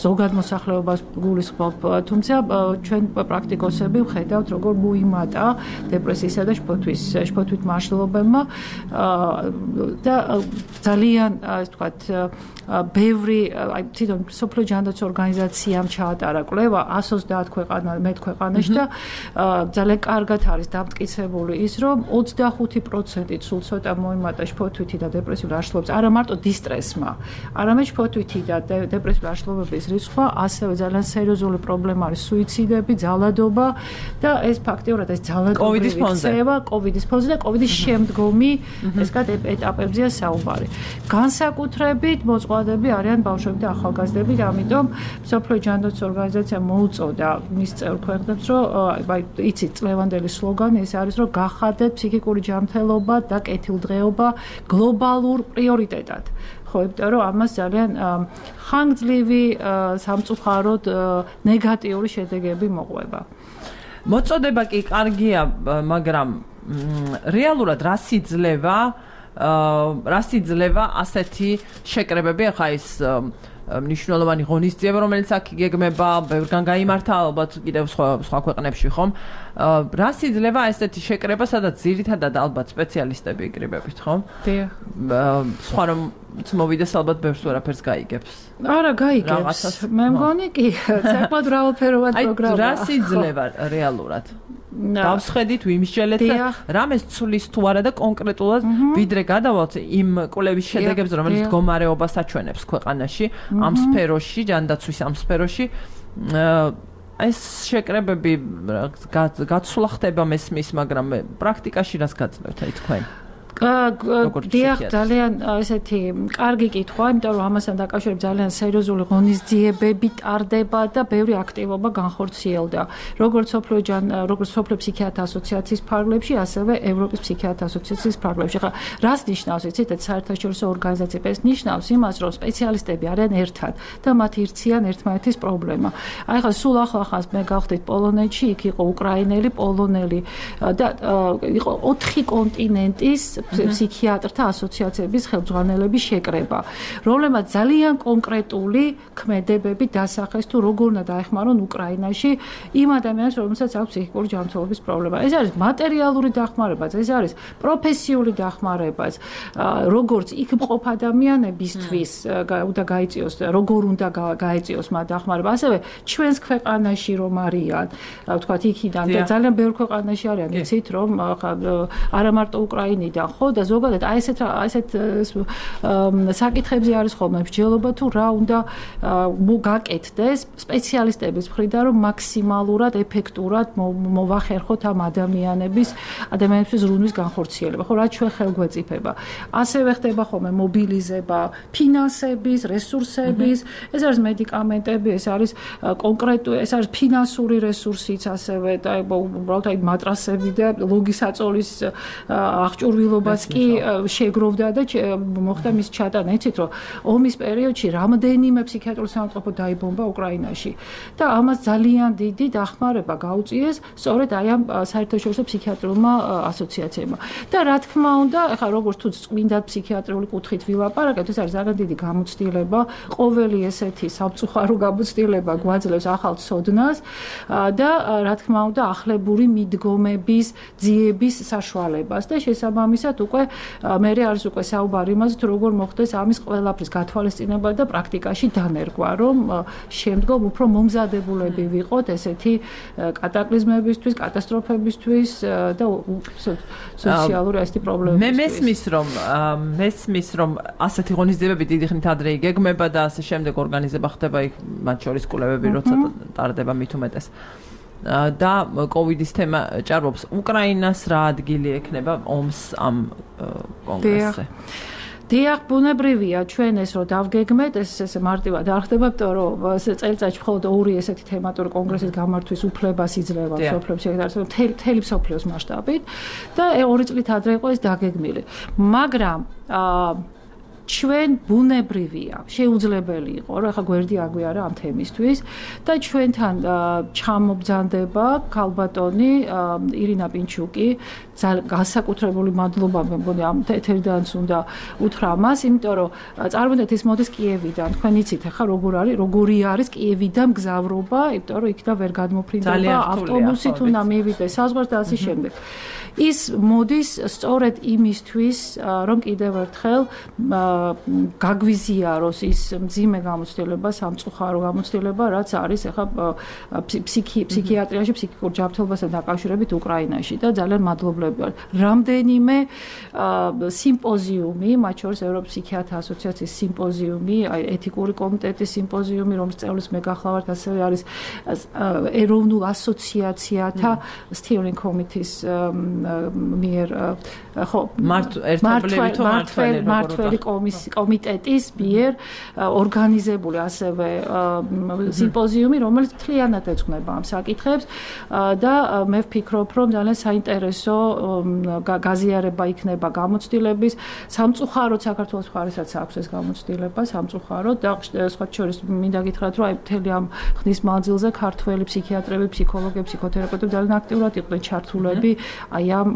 ზოგად მოსახლეობას გულისხმობ, თუმცა ჩვენ პრაქტიკოსები ვხედავთ, როგორ მოიმატა დეპრესიისა და შფოთვის, შფოთვით მაშლობებმა და ძალიან, ასე ვთქვათ, ბევრი, აი თვითონ სოფლიო ჯანდაცვის ორგანიზაციამ ჩაატარა კვლევა εκατს ოცდაათ ქვეყანა, მეტ ქვეყანაში და ძალიან კარგად არის დამტკიცებული ის, რომ ოცდახუთი პროცენტი სულ ცოტა მოიმატა შფოთვითი და დეპრესიულ აშლობებს, არა მარტო დისტრესმა, არამედ შფოთვითი და დეპრესიულ აშლობების რისხვა, ასევე ძალიან სერიოზული პრობლემა არის სუიციდები, ძალადობა და ეს ფაქტიურად ეს ძალადობრივი ქცევა კოვიდის ფონზე და კოვიდის შემდგომი ესკათ ეტაპებზეა საუბარი. განსაკუთრებით მოწყვლადები არიან ბავშვები და ახალგაზრდები, ამიტომ სოფლიო ჯანდაცვის ორგანიზაციამ მოუწოდა მის წევრ ქვეყნებს, რომ აი იცით წლევანდელი სლოგანი ეს არის, რომ გახადეთ ფსიქიკური ჯანმრთელობა და კეთილდღეობა გლობალურ პრიორიტეტად. ხო, იმიტომ რომ ამას ძალიან ხანგრძლივი სამწუხაროდ ნეგატიური შედეგები მოყვება. მოწოდება კი კარგია, მაგრამ რეალურად რას იძლევა რას იძლევა ასეთი შეკრებები, ახლა ის მნიშვნელოვანი ღონისძიება, რომელიც აქ იგეგმება, ბევრგან გაიმართა ალბათ კიდევ სხვა სხვა ქვეყნებში, ხომ? რას იძლევა ესეთი შეკრება, სადაც ძირითადად ალბათ სპეციალისტები იკრიბებით, ხომ? დიახ. სხვა რომ მოვიდეს ალბათ ბევრს ვერაფერს გაიგებს. არა, გაიგებს. მე მგონი კი, საკმაოდ მრავალფეროვანი პროგრამაა. აი, რას იძლევა რეალურად? დავსხედით, ვიმსჯელეთ და რამეს ცulis თუ არა და კონკრეტულად ვიდრე გადავალთ იმ კვლევის შედეგებს, რომელიც მდგომარეობას აჩვენებს ქვეყანაში, ამ სფეროში, ჯანდაცვის ამ სფეროში. ეს შეკრებები გაცვლა ხდება მესმის, მაგრამ პრაქტიკაში რას გაძლევთ აი თქვენ? დიახ, ძალიან ესეთი კარგი კითხვა, იმიტომ რომ ამასთან დაკავშირებით ძალიან სერიოზული ღონისძიებები ტარდება და ბევრი აქტივობა განხორციელდა. როგორც სოფლიო როგორც სოფლიო ფსიქიატრთა ასოციაციის ფარგლებში, ასევე ევროპის ფსიქიატრთა ასოციაციის ფარგლებში. ხა რას ნიშნავს, იცით, ეს საერთაშორისო ორგანიზაციები? ეს ნიშნავს იმას, რომ სპეციალისტები არიან ერთად და მათ ირციან ერთმანეთის პრობლემა. აი ხა სულ ახლახანს მე გავხდით პოლონეთში, იქ იყო უკრაინელი, პოლონელი და იყო ოთხი კონტინენტის ფსიქიატრთა ასოციაციების ხელმძღვანელების შეკრება, რომლებმაც ძალიან კონკრეტული ქმედებები დასახეს თუ როგორ უნდა დაეხმარონ უკრაინაში იმ ადამიანებს, რომელსაც აქვს ფსიქიკური ჯანმრთელობის პრობლემა. ეს არის მატერიალური დახმარებაც, ეს არის პროფესიული დახმარებაც, როგორც იქ მყოფ ადამიანებისთვის უნდა გაიწიოს, როგორ უნდა გაეწიოს მათ დახმარება, ასევე ჩვენს ქვეყანაში რომ არიან, ვთქვათ, იქიდან და ძალიან ბევრ ქვეყანაში არიან, იცით, რომ არა მარტო უკრაინიდან ხო და ზოგადად აი ესეთ ესეთ საკითხებზე არის ხოლმე მსჯელობა თუ რა უნდა გაკეთდეს სპეციალისტების მხრიდან, რომ მაქსიმალურად ეფექტურად მოვახერხოთ ამ ადამიანების ადამიანების ზრუნვის განხორციელება. ხო, რაც ჩვენ ხელგვეწიფება. ასევე ხდება ხოლმე მობილიზება ფინანსების, რესურსების, ეს არის მედიკამენტები, ეს არის კონკრეტული, ეს არის ფინანსური რესურსიც, ასევე და უბრალოდ აი მატრასები და ლოგისაწოლის აღჭურვილობას კი შეგროვდა და მოხდა მის ჩატანა. იცით, რომ ომის პერიოდში რამდენიმე ფსიქიატრული საავადმყოფო დაიბომბა უკრაინაში და ამას ძალიან დიდი დახმარება გაუწიეს სწორედ აი ამ საერთაშორისო ფსიქიატრულმა ასოციაციებმა. და რა თქმა უნდა, ახლა როგორც თუ წმინდა ფსიქიატრიული კუთხით ვილაპარაკებთ, ეს არის ძალიან დიდი გამოცდილება, ყოველი ესეთი სამწუხარო გამოცდილება გვაძლევს ახალ ცოდნას და რა თქმა უნდა, ახლებური მიდგომების, ძიების საშუალებას და შესაბამისად უკვე მე არის უკვე საუბარი იმაზე, თუ როგორ მოხდეს ამის ყველაფრის გათვალისწინება და პრაქტიკაში დანერგვა, რომ შემდგომ უფრო მომზადებულები ვიყოთ ესეთი კატაკლიზმებისთვის, კატასტროფებისთვის და სოციალური ასეთი პრობლემებისთვის. მე მესმის რომ მესმის რომ ასეთი ღონისძიებები დიდი ხნით ადრე იგეგმება და ასე შემდეგ ორგანიზება ხდება იქ მათ შორის კვლევები როცა ტარდება მით უმეტეს. და კოვიდის თემა ჭარბობს უკრაინას რა ადგილი ექნება ომს ამ კონგრესზე. დიახ, ბუნებრივია ჩვენ ეს რომ დავგეგმეთ, ეს ეს მარტივად არ ხდება, იმიტომ რომ წელიწადში მხოლოდ ორი ესეთი თემატური კონგრესის გამართვის უფლებას იძლევა სოფლებს შეგდარსება მთელი სოფლიოს მასშტაბით და ორი წლით ადრე იყო ეს დაგეგმილი. მაგრამ აა ჩვენ ბუნებრივია, შეუძლებელი იყო, რომ ახლა გვერდი აგვიარა ამ თემისთვის და ჩვენთან ჩამობრძანდება ქალბატონი ირინა პინჩუკი, განსაკუთრებული მადლობა მე მგონი ამ ეთერიდანაც უნდა უთხრა მას, იმიტომ რომ წარმოდეთ ის მოდის კიევიდან, თქვენ იცით ახლა როგორ არის, როგორი არის კიევიდან მგზავრობა, იმიტომ რომ იქიდან ვერ გადმოფრინდება ავტობუსით უნდა მივიდეს საზღვარს და ასე შემდეგ. ის მოდის სწორედ იმისთვის, რომ კიდევ ერთხელ გაგვიზიაროს ის მძიმე გამოცდილება, სამწუხარო გამოცდილება, რაც არის ახლა ფსიქიატრიაში, ფსიქიკურ ჯანმრთელობასთან დაკავშირებით უკრაინაში და ძალიან მადლობლები ვარ. რამდენიმე სიმპოზიუმი, მათ შორის ევროპის ფსიქიატრთა ასოციაციის სიმპოზიუმი, ეთიკური კომიტეტის სიმპოზიუმი, რომლის წევრიც მე გახლავართ, ასევე არის ეროვნულ ასოციაციათა steering committee-ის მიერ ხო მართველი კომიტეტის მიერ ორგანიზებული ასევე სიმპოზიუმი, რომელიც მთლიანად ეძღვნება ამ საკითხებს და მე ვფიქრობ, რომ ძალიან საინტერესო გაზიარება იქნება გამოცდილების, სამწუხაროდ საქართველოს მხარესაც აქვს ეს გამოცდილება, სამწუხაროდ და სხვა შორის მინდა გითხრათ, რომ აი მთელი ამ ხნის მანძილზე ქართველი ფსიქიატრები, ფსიქოლოგები, ფსიქოთერაპევტები ძალიან აქტიურად იყვნენ ჩართულები აი ამ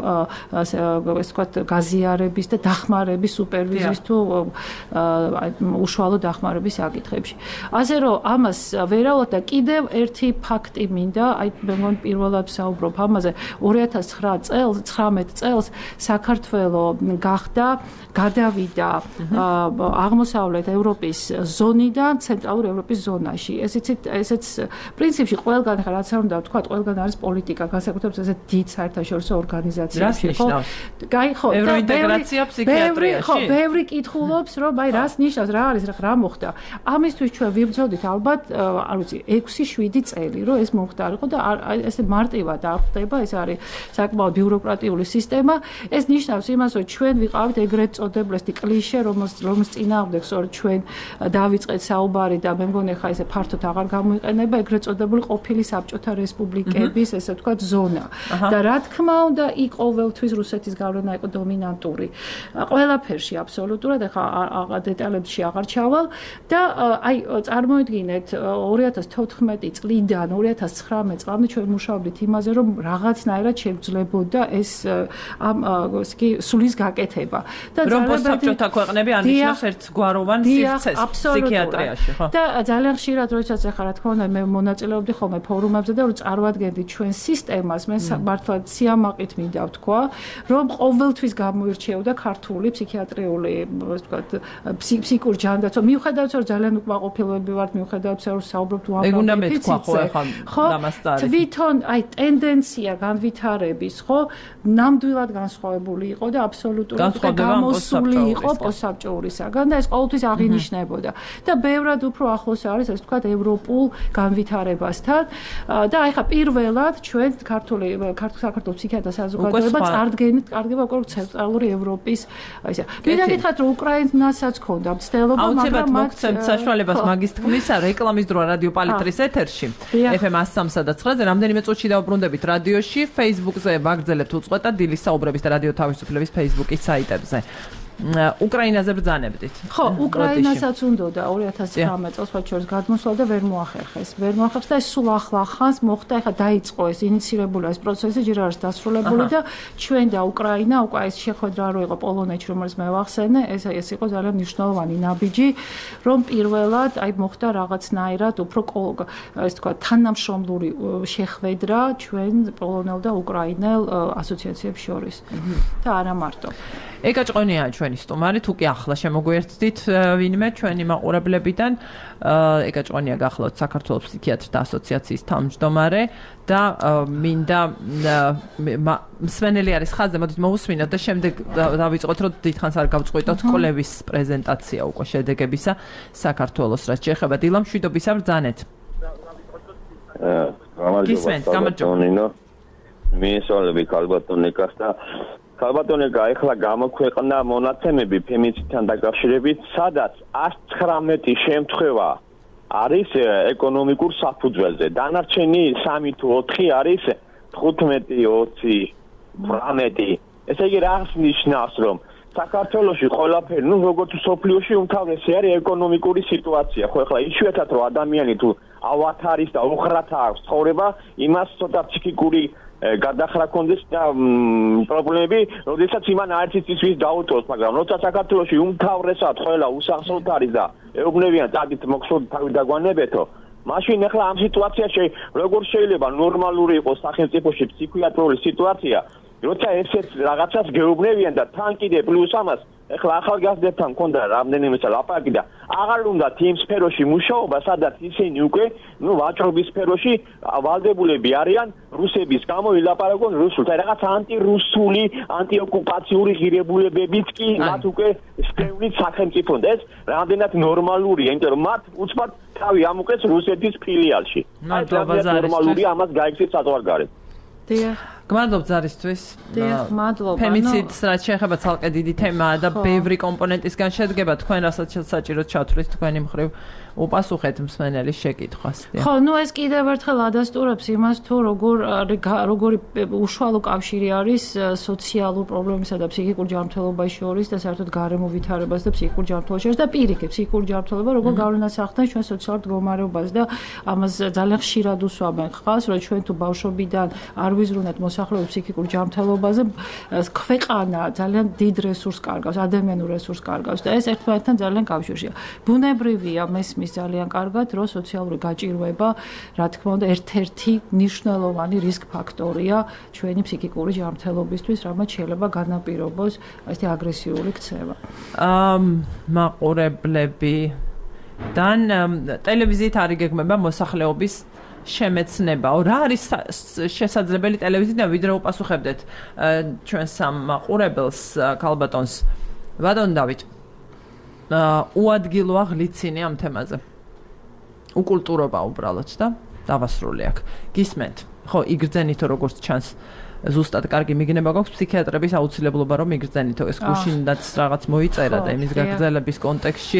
ასე ვთქვათ გაზიარების და დახმარების სუპერვიზიის თუ უშუალო დახმარების საკითხებში. ასე რომ ამას ვერავოთ და კიდევ ერთი ფაქტი მინდა, აი მე მგონი პირველად ვსაუბრობ ამაზე, ორი ათას ცხრამეტ წელს საქართველოს გახდა გადავიდა აღმოსავლეთ ევროპის ზონიდან ცენტრალურ ევროპის ზონაში. ეს იცით, ესეც პრინციპში ყველგან ხა რაც არ უნდა ვთქვა, ყველგან არის პოლიტიკა, განსაკუთრებით ესე დიდ საერთაშორისო ორგანიზაციებში, ხო? გაი ხო, ევროინტეგრაცია ფსიქიატრიაში. ხო, ბევრი კითხულობს, რომ აი რას ნიშნავს, რა არის, რა მოხდა. ამისთვის ჩვენ ვიბრძოდით ალბათ, არ ვიცი, ექვსი შვიდი წელი, რომ ეს მომხდარიყო და ესე მარტივად არ ხდება, ეს არის საკმაოდ ბიუროკრატიული სისტემა. ეს ნიშნავს იმას, რომ ჩვენ ვიყავით ეგრეთ წოდებული კლიშე, რომელს რომელს წინააღმდეგ სწორედ ჩვენ დავიწყეთ საუბარი და მე მგონი ხა ესე ფართოდ აღარ გამოიყენება ეგრეთ წოდებული ყოფილი საბჭოთა რესპუბლიკების, ესე ვთქვათ, ზონა. და რა თქმა უნდა, იქ ყოველთვის რუსეთის გავლენა იყო დომინანტური. ყველაფერში აბსოლუტურად, ახლა დეტალებში აღარ ჩავალ და აი წარმოიდგინეთ ორი ათას თოთხმეტი წლიდან ორი ათას ცხრამეტ წლამდე ჩვენ მუშაობდით იმაზე, რომ რაღაცნაირად შევძლებოდა ეს ამ კი სულის გაკეთება. და რომ პოსტსაბჭოთა ქვეყნები ანიშნავს ერთგვაროვან სივრცეს ფსიქიატრიაში, ხო? და ძალიან ხშირად როდესაც ახლა რა თქმა უნდა მე მონაწილეობდი ხოლმე ფორუმებზე და რომ წარვადგენდი ჩვენ სისტემას, მე მართლა სიამაყით მინდა ვთქვა, რომ ყოველთვის გამოირჩეოდა ქართული ფსიქიატრიული, ასე ვთქვათ, ფსიქიკური ჯანდაცვა. მიუხედავად რომ ძალიან უკმაყოფილოები ვართ, მიუხედავად რომ საუბრობთ უამრავ ეგ უნდა მეთქვა ხო ახლა დამასტარი. თვითონ აი ტენდენცია განვითარების, ხო, ნამდვილად განსხვავებული იყო და აბსოლუტურად გამოსული იყო პოსტსაბჭოურისაგან და ეს ყოველთვის აღინიშნებოდა. და ბევრად უფრო ახლოს არის, ასე ვთქვათ, ევროპულ განვითარებასთან და აი ხა პირველად ჩვენ ქართული საქართველოს ფსიქიატრთა საზოგადოება წარდგენით კარგება უკვე ცენტრალური ევროპის აი ესე. მინდა გითხრათ, რომ უკრაინასაც ქონდა მცდელობა, მაგრამ მათ მოგცემთ საშუალებას მაგის თქმისა, რეკლამის დროა რადიო პალიტრის ეთერში ეფ ემ one oh three და nine-ზე რამდენიმე წუთში დავუბრუნდებით რადიოში, Facebook-ზე ვაგრძელებთ უწყვეტად დილის საუბრების და რადიო თავისუფლების Facebook-ის საიტებზე. უკრაინაზე ბრძანებდით. ხო, უკრაინასაც უნდა ორი ათას ცხრამეტ წელს სხვა შორის გადმოსვლა და ვერ მოახერხეს. ვერ მოახერხეს და ეს სულ ახლა ხანს მოხდა, ეხლა დაიწყო ეს ინიციირებული ეს პროცესი, ჯერ არის დასრულებული და ჩვენ და უკრაინა უკვე ეს შეხვედრა რო იყო პოლონეთში, რომელიც მე ვახსენე, ეს ეს იყო ძალიან მნიშვნელოვანი ნაბიჯი, რომ პირველად აი მოხდა რაღაცნაირად უფრო ეს თქვა თანამშრომლური შეხვედრა ჩვენ პოლონელ და უკრაინელ ასოციაციებს შორის. და არა მარტო. ეკაჭყონია ჩვენი სტუმარი, თუ კი ახლა შემოგვერთდით ვინმე ჩვენი მაყურებლებიდან, ეკაჭყონია გახლავთ საქართველოს ფსიქიატრთა ასოციაციის თავმჯდომარე და მინდა მსმენელი არის ხაზზე, მოდით მოусმინოთ და შემდეგ დავიწყოთ, რომ დიდხანს არ გავწყვიტოთ კვლევის პრეზენტაცია უკვე შედეგებისა საქართველოს რაც შეეხება დილა მშვიდობისა ბრძანეთ. გამარჯობა. მისვალები ქალბატონიკას და ქალბატონი ეხლა გამოქვეყნა მონაცემები ფემინიციდთან დაკავშირებით, სადაც ათს ცხრამეტი შემთხვევა არის ეკონომიკურ საფუძველზე. დანარჩენი სამი თუ ოთხი არის თხუთმეტი, ოცი, ვრამეტი. ესე იგი რას ნიშნავს, რომ საქართველოში ყველაფერი, ну როგორც სოფლიოში უმთავრესი არის ეკონომიკური სიტუაცია. ხო ეხლა იშვიათად რომ ადამიანი თუ ავათ არის და უხრათა აქვს ცხოვრება, იმას ცოტა ფსიქიკური გადახრა კონდეს და პრობლემები, როდესაც იმან არც ის დაუწოს, მაგრამ როცა საქართველოში უმთავრესად ყველა უსახსროდ არის და ეუბნებიან წადით მოხსოვთ თავი დაგვანებეთო, მაშინ ახლა ამ სიტუაციაში როგორ შეიძლება ნორმალური იყოს სახელმწიფოში ფსიქიატრიული სიტუაცია, როცა ესეც რაღაცას გეუბნებიან და თან კიდე პლუს ამას ეხლა ახალგაზრდებთან მქონდა რამდენიმე ლაპარაკი და აღარ უნდათ იმ სფეროში მუშაობა, სადაც ისინი უკვე, ну, ვაჭრობის სფეროში ვალდებულები არიან რუსების გამო ილაპარაკონ რუსულად. აი რაღაც ანტირუსული, ანტიოკუპაციური ღირებულებებიც კი მათ უკვე სტევლით სახელმწიფოდ. ეს რამდენად ნორმალურია, იმიტომ რომ მათ უცბად თავი ამოყეს რუსეთის ფილიალში. აი ეს ნორმალურია, ამას გაიქცეთ საზღვარგარეთ. დიახ. გმადლობთ ზარისთვის. დიახ, მადლობა. ფემინიციდს რაც შეეხება ცალკე დიდი თემაა და ბევრი კომპონენტისგან შედგება. თქვენ რასაც საჭიროდ ჩათვლით თქვენი მხრივ უპასუხეთ მსმენელის შეკითხვას. ხო, ну ეს კიდევ ერთხელ ადასტურებს იმას, თუ როგორ როგორი უშუალო კავშირი არის სოციალურ პრობლემებსა და ფსიქიკურ ჯანმრთელობას შორის და საერთოდ გარემო ვითარებას და ფსიქიკურ ჯანმრთელობას შორის და პირიქით ფსიქიკური ჯანმრთელობა როგორ გავლენას ახდენს ჩვენ სოციალურ მდგომარეობას და ამას ძალიან ხშირად უსვამენ ხალხს, რომ ჩვენ თუ ბავშვობიდან არ ვიზრუნოთ მოსახლეობის ფსიქიკურ ჯანმრთელობაზე, ქვეყანა ძალიან დიდ რესურსს კარგავს, ადამიანურ რესურსს კარგავს და ეს ერთმანეთთან ძალიან კავშირშია. ბუნებრივია მესმის ძალიან კარგად, რომ სოციალური გაჭირვება, რა თქმა უნდა, ერთ-ერთი მნიშვნელოვანი რისკ ფაქტორია ჩვენი ფსიქიკური ჯანმრთელობისთვის, რამაც შეიძლება განაპირობოს ესეთი აგრესიული ქცევა. აა მაყურებლებიდან ტელევიზიით არ იგეგმება მოსახლეობის შემეცნებაო. რა არის შესაძლებელი ტელევიზიიდან ვიდრე უპასუხებდეთ ჩვენ სამ მაყურებელს ქალბატონს. ბატონ დავით, უადგილოა ღლიცინი ამ თემაზე. უკულტურობა უბრალოდ და დავასრულე აქ. გისმენთ. ხო, იგრძენითო როგორც ჩანს ზუსტად კარგი მიგნება გვაქვს ფსიქიატრების აუცილებლობა რომ იგრძენითო. ეს გუშინდაც რაღაც მოიწერა და იმის გაგრძელების კონტექსტში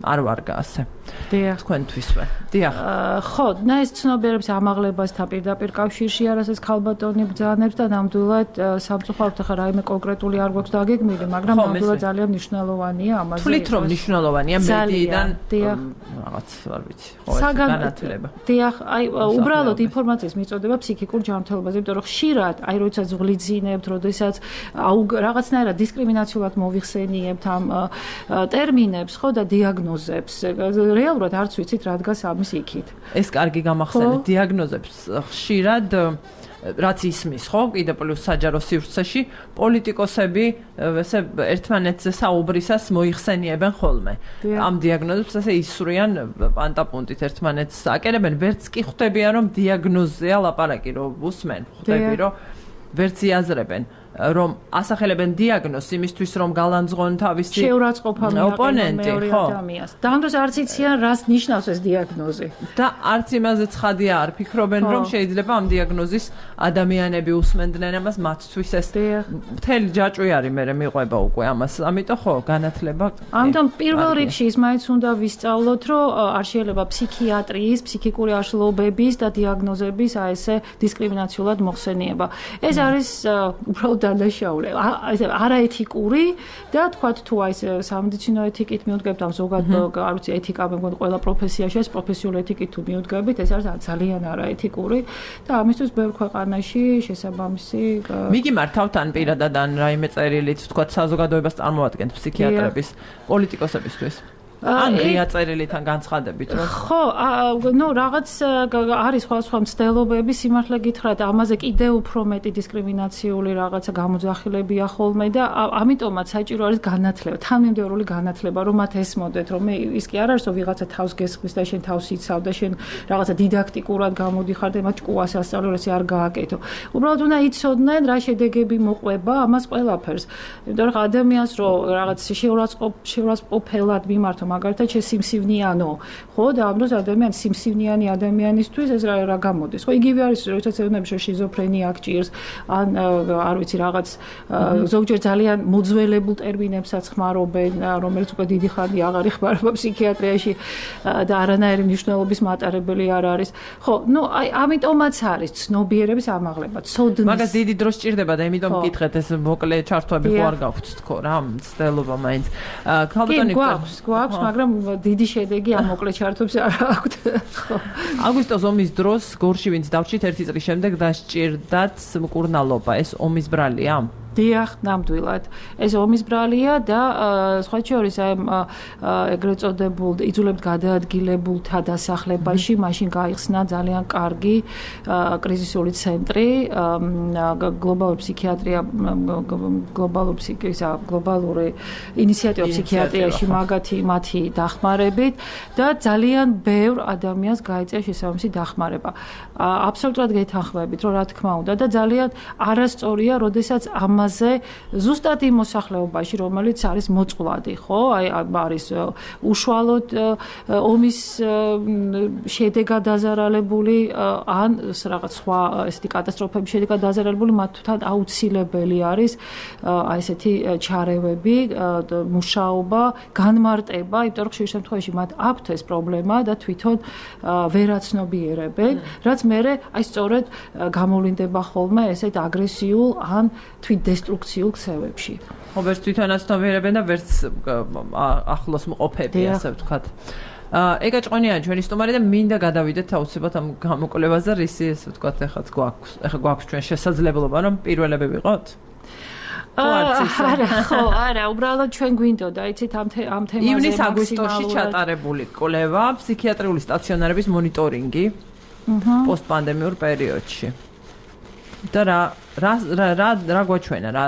არ ვარ გასე. დიახ, თქვენთვისვე. დიახ. ხო, და ეს ცნობიერების ამაღლებასთან პირდაპირ კავშირში არის ქალბატონი ბრძანებს და ნამდვილად სამწუხაროდ ახლა რაიმე კონკრეტული არ გვაქვს დაგეგმილი, მაგრამ ნამდვილად ძალიან მნიშვნელოვანია ამაზე. თვლით რომ მნიშვნელოვანია მედიიდან რაღაც არ ვიცი, ხო ეს განათლება. დიახ, აი უბრალოდ ინფორმაციის მიწოდება ფსიქიკურ ჯანმრთელობაზე, იმიტომ რომ ხშირად აი როდესაც ღლიძინებთ, როდესაც რაღაცნაირად დისკრიმინაციულად მოვიხსენიებთ ამ ტერმინებს, ხო და დიაგნოზებს რეალურად არც ვიცით რა დგას ამის იქით. ეს კარგი გამახსენეთ დიაგნოზებს ხშირად რაც ისმის, ხო, კიდე პლუს საჯარო სივრცეში პოლიტიკოსები ესე ერთმანეთზე საუბრისას მოიხსენიებენ ხოლმე. ამ დიაგნოზებს ესე ისვრიან პანტაპუნტით ერთმანეთს აკერებენ, ვერც კი ხვდებიან რომ დიაგნოზია ლაპარაკი, რომ უსმენ, ხვდები რომ ვერც იაზრებენ. რომ ასახელებენ დიაგნოზს იმისთვის რომ გალანძღონ თავისი შეურაცხყოფა ოპონენტი, ხო? დამდროს არც იციან რას ნიშნავს ეს დიაგნოზი. და არც იმაზე ცხადია არ ფიქრობენ რომ შეიძლება ამ დიაგნოზის ადამიანები უსმენდნენ ამას მათთვის ეს მთელი ჯაჭვი არის მე მიყვება უკვე ამას. ამიტომ ხო განათლება. ამიტომ პირველ რიგში ის მაინც უნდა ვისწავლოთ რომ არ შეიძლება ფსიქიატრიის, ფსიქიკური აშლობების და დიაგნოზების აი ესე დისკრიმინაციულად მოხსენიება. ეს არის უბრალოდ დანაშაული, ესე არაეთიკური და თქვათ თუ აი ეს სამედიცინო ეთიკით მიუდგებთ ამ ზოგადად არ ვიცი ეთიკა მე მგონი ყველა პროფესიაში ეს პროფესიული ეთიკით თუ მიუდგებით ეს არის ძალიან არაეთიკური და ამისთვის ბევრ ქვეყანაში შესაბამისი მიგიმართავთ ან პირადად ან რაიმე წერილით თქვათ საზოგადოებას წარმოადგენთ ფსიქიატრების პოლიტიკოსებისთვის ან ღია წერილიდან განცხადებით რომ ხო, ნუ რაღაც არის სხვადასხვა მცდელობები სიმართლე გითხრათ, ამაზე კიდევ უფრო მეტი დისკრიმინაციული რაღაცა გამოძახილებია ხოლმე და ამიტომაც საჭირო არის განათლება, თანმიმდევრული განათლება, რომ მათ ესმოდეთ, რომ ის კი არ არის რომ ვიღაცა თავს გესხმის და შენ თავს იცავ და შენ რაღაცა დიდაქტიკურად გამოდიხარ და მათ ჭკუას ასწავლე, რომ ეს არ გააკეთო. უბრალოდ უნდა იცოდნენ რა შედეგები მოყვება ამას ყველაფერს. იმიტომ რომ ადამიანს რომ რაღაც შეურაცხყოფ შეურაცხყოფელად მიმართო მაგალითად შესიმსივნიანო, ხო და ამ დროს ადამიანი სიმსივნიანი ადამიანისთვის ეს რა რა გამოდის. ხო, იგივე არის, როდესაც ეუბნები რომ შიზოფრენია გჭირს, ან არ ვიცი რაღაც ზოგჯერ ძალიან მოძველებულ ტერმინებსაც ხმარობენ, რომელიც უკვე დიდი ხანი აღარ იხმარება ფსიქიატრიაში და არანაირი მნიშვნელობის მატარებელი არ არის. ხო, ნუ აი ამიტომაც არის ცნობიერების ამაღლება, ცოდნის. მაგას დიდი დრო სჭირდება და იმიტომ მკითხეთ ეს მოკლე ჩართვები ხო არ გაქვთ თქო რა, მცდელობა მაინც. ქალბატონი გვაქვს, გვაქვს, მაგრამ დიდი შედეგი ამ მოკლე ჩართვებს არ აქვთ. ხო. აგვისტოს ომის დროს გორში ვინც დავჭით ერთი წლის შემდეგ დასჭირდათ მკურნალობა. ეს ომის ბრალია? დიახ, ნამდვილად. ეს ომის ბრალია და სხვა შორის აი ეგრეთ წოდებულ იძულებთ გადაადგილებულთა დასახლებაში მაშინ გაიხსნა ძალიან კარგი კრიზისული ცენტრი, გლობალური ფსიქიატრია, გლობალური ფსიქიატრია, გლობალური ინიციატივა ფსიქიატრიაში მაგათი მათი დახმარებით და ძალიან ბევრ ადამიანს გაიწია შესაბამისი დახმარება. აბსოლუტურად გეთანხმებით, რომ რა თქმა უნდა და ძალიან არასწორია, როდესაც ამ ზუსტად იმ მოსახლეობაში, რომელიც არის მოწყვლადი, ხო? აი არის უშუალოდ ომის შედეგად დაზარალებული ან რაღაც სხვა ესეთი კატასტროფების შედეგად დაზარალებული, მათთან აუცილებელი არის აი ესეთი ჩარევები, მუშაობა, განმარტება, იმიტომ რომ ხშირ შემთხვევაში მათ აქვთ ეს პრობლემა და თვითონ ვერაცნობიერებენ, რაც მერე აი სწორედ გამოვლინდება ხოლმე ესეთ აგრესიულ ან თვით დესტრუქციულ ქსევებში. ხო, ვერც თვითონაც ცნობიერებენ და ვერც ახლოს მყოფები, ასე ვთქვათ. ეგა ჭყონია ჩვენი სტუმარი და მინდა გადავიდეთ აუცილებლად ამ გამოკვლევაზე, რისი ესე ვთქვათ, ეხაც გვაქვს, ეხა გვაქვს ჩვენ შესაძლებლობა, რომ პირველები ვიყოთ? არა, ხო, არა, უბრალოდ ჩვენ გვინდოდა, იცით ამ ამ თემაზე ივნის-აგვისტოში ჩატარებული კვლევა, ფსიქიატრიული სტაციონარების მონიტორინგი პოსტპანდემიურ პერიოდში. და რა რა რა რა გვაჩვენა რა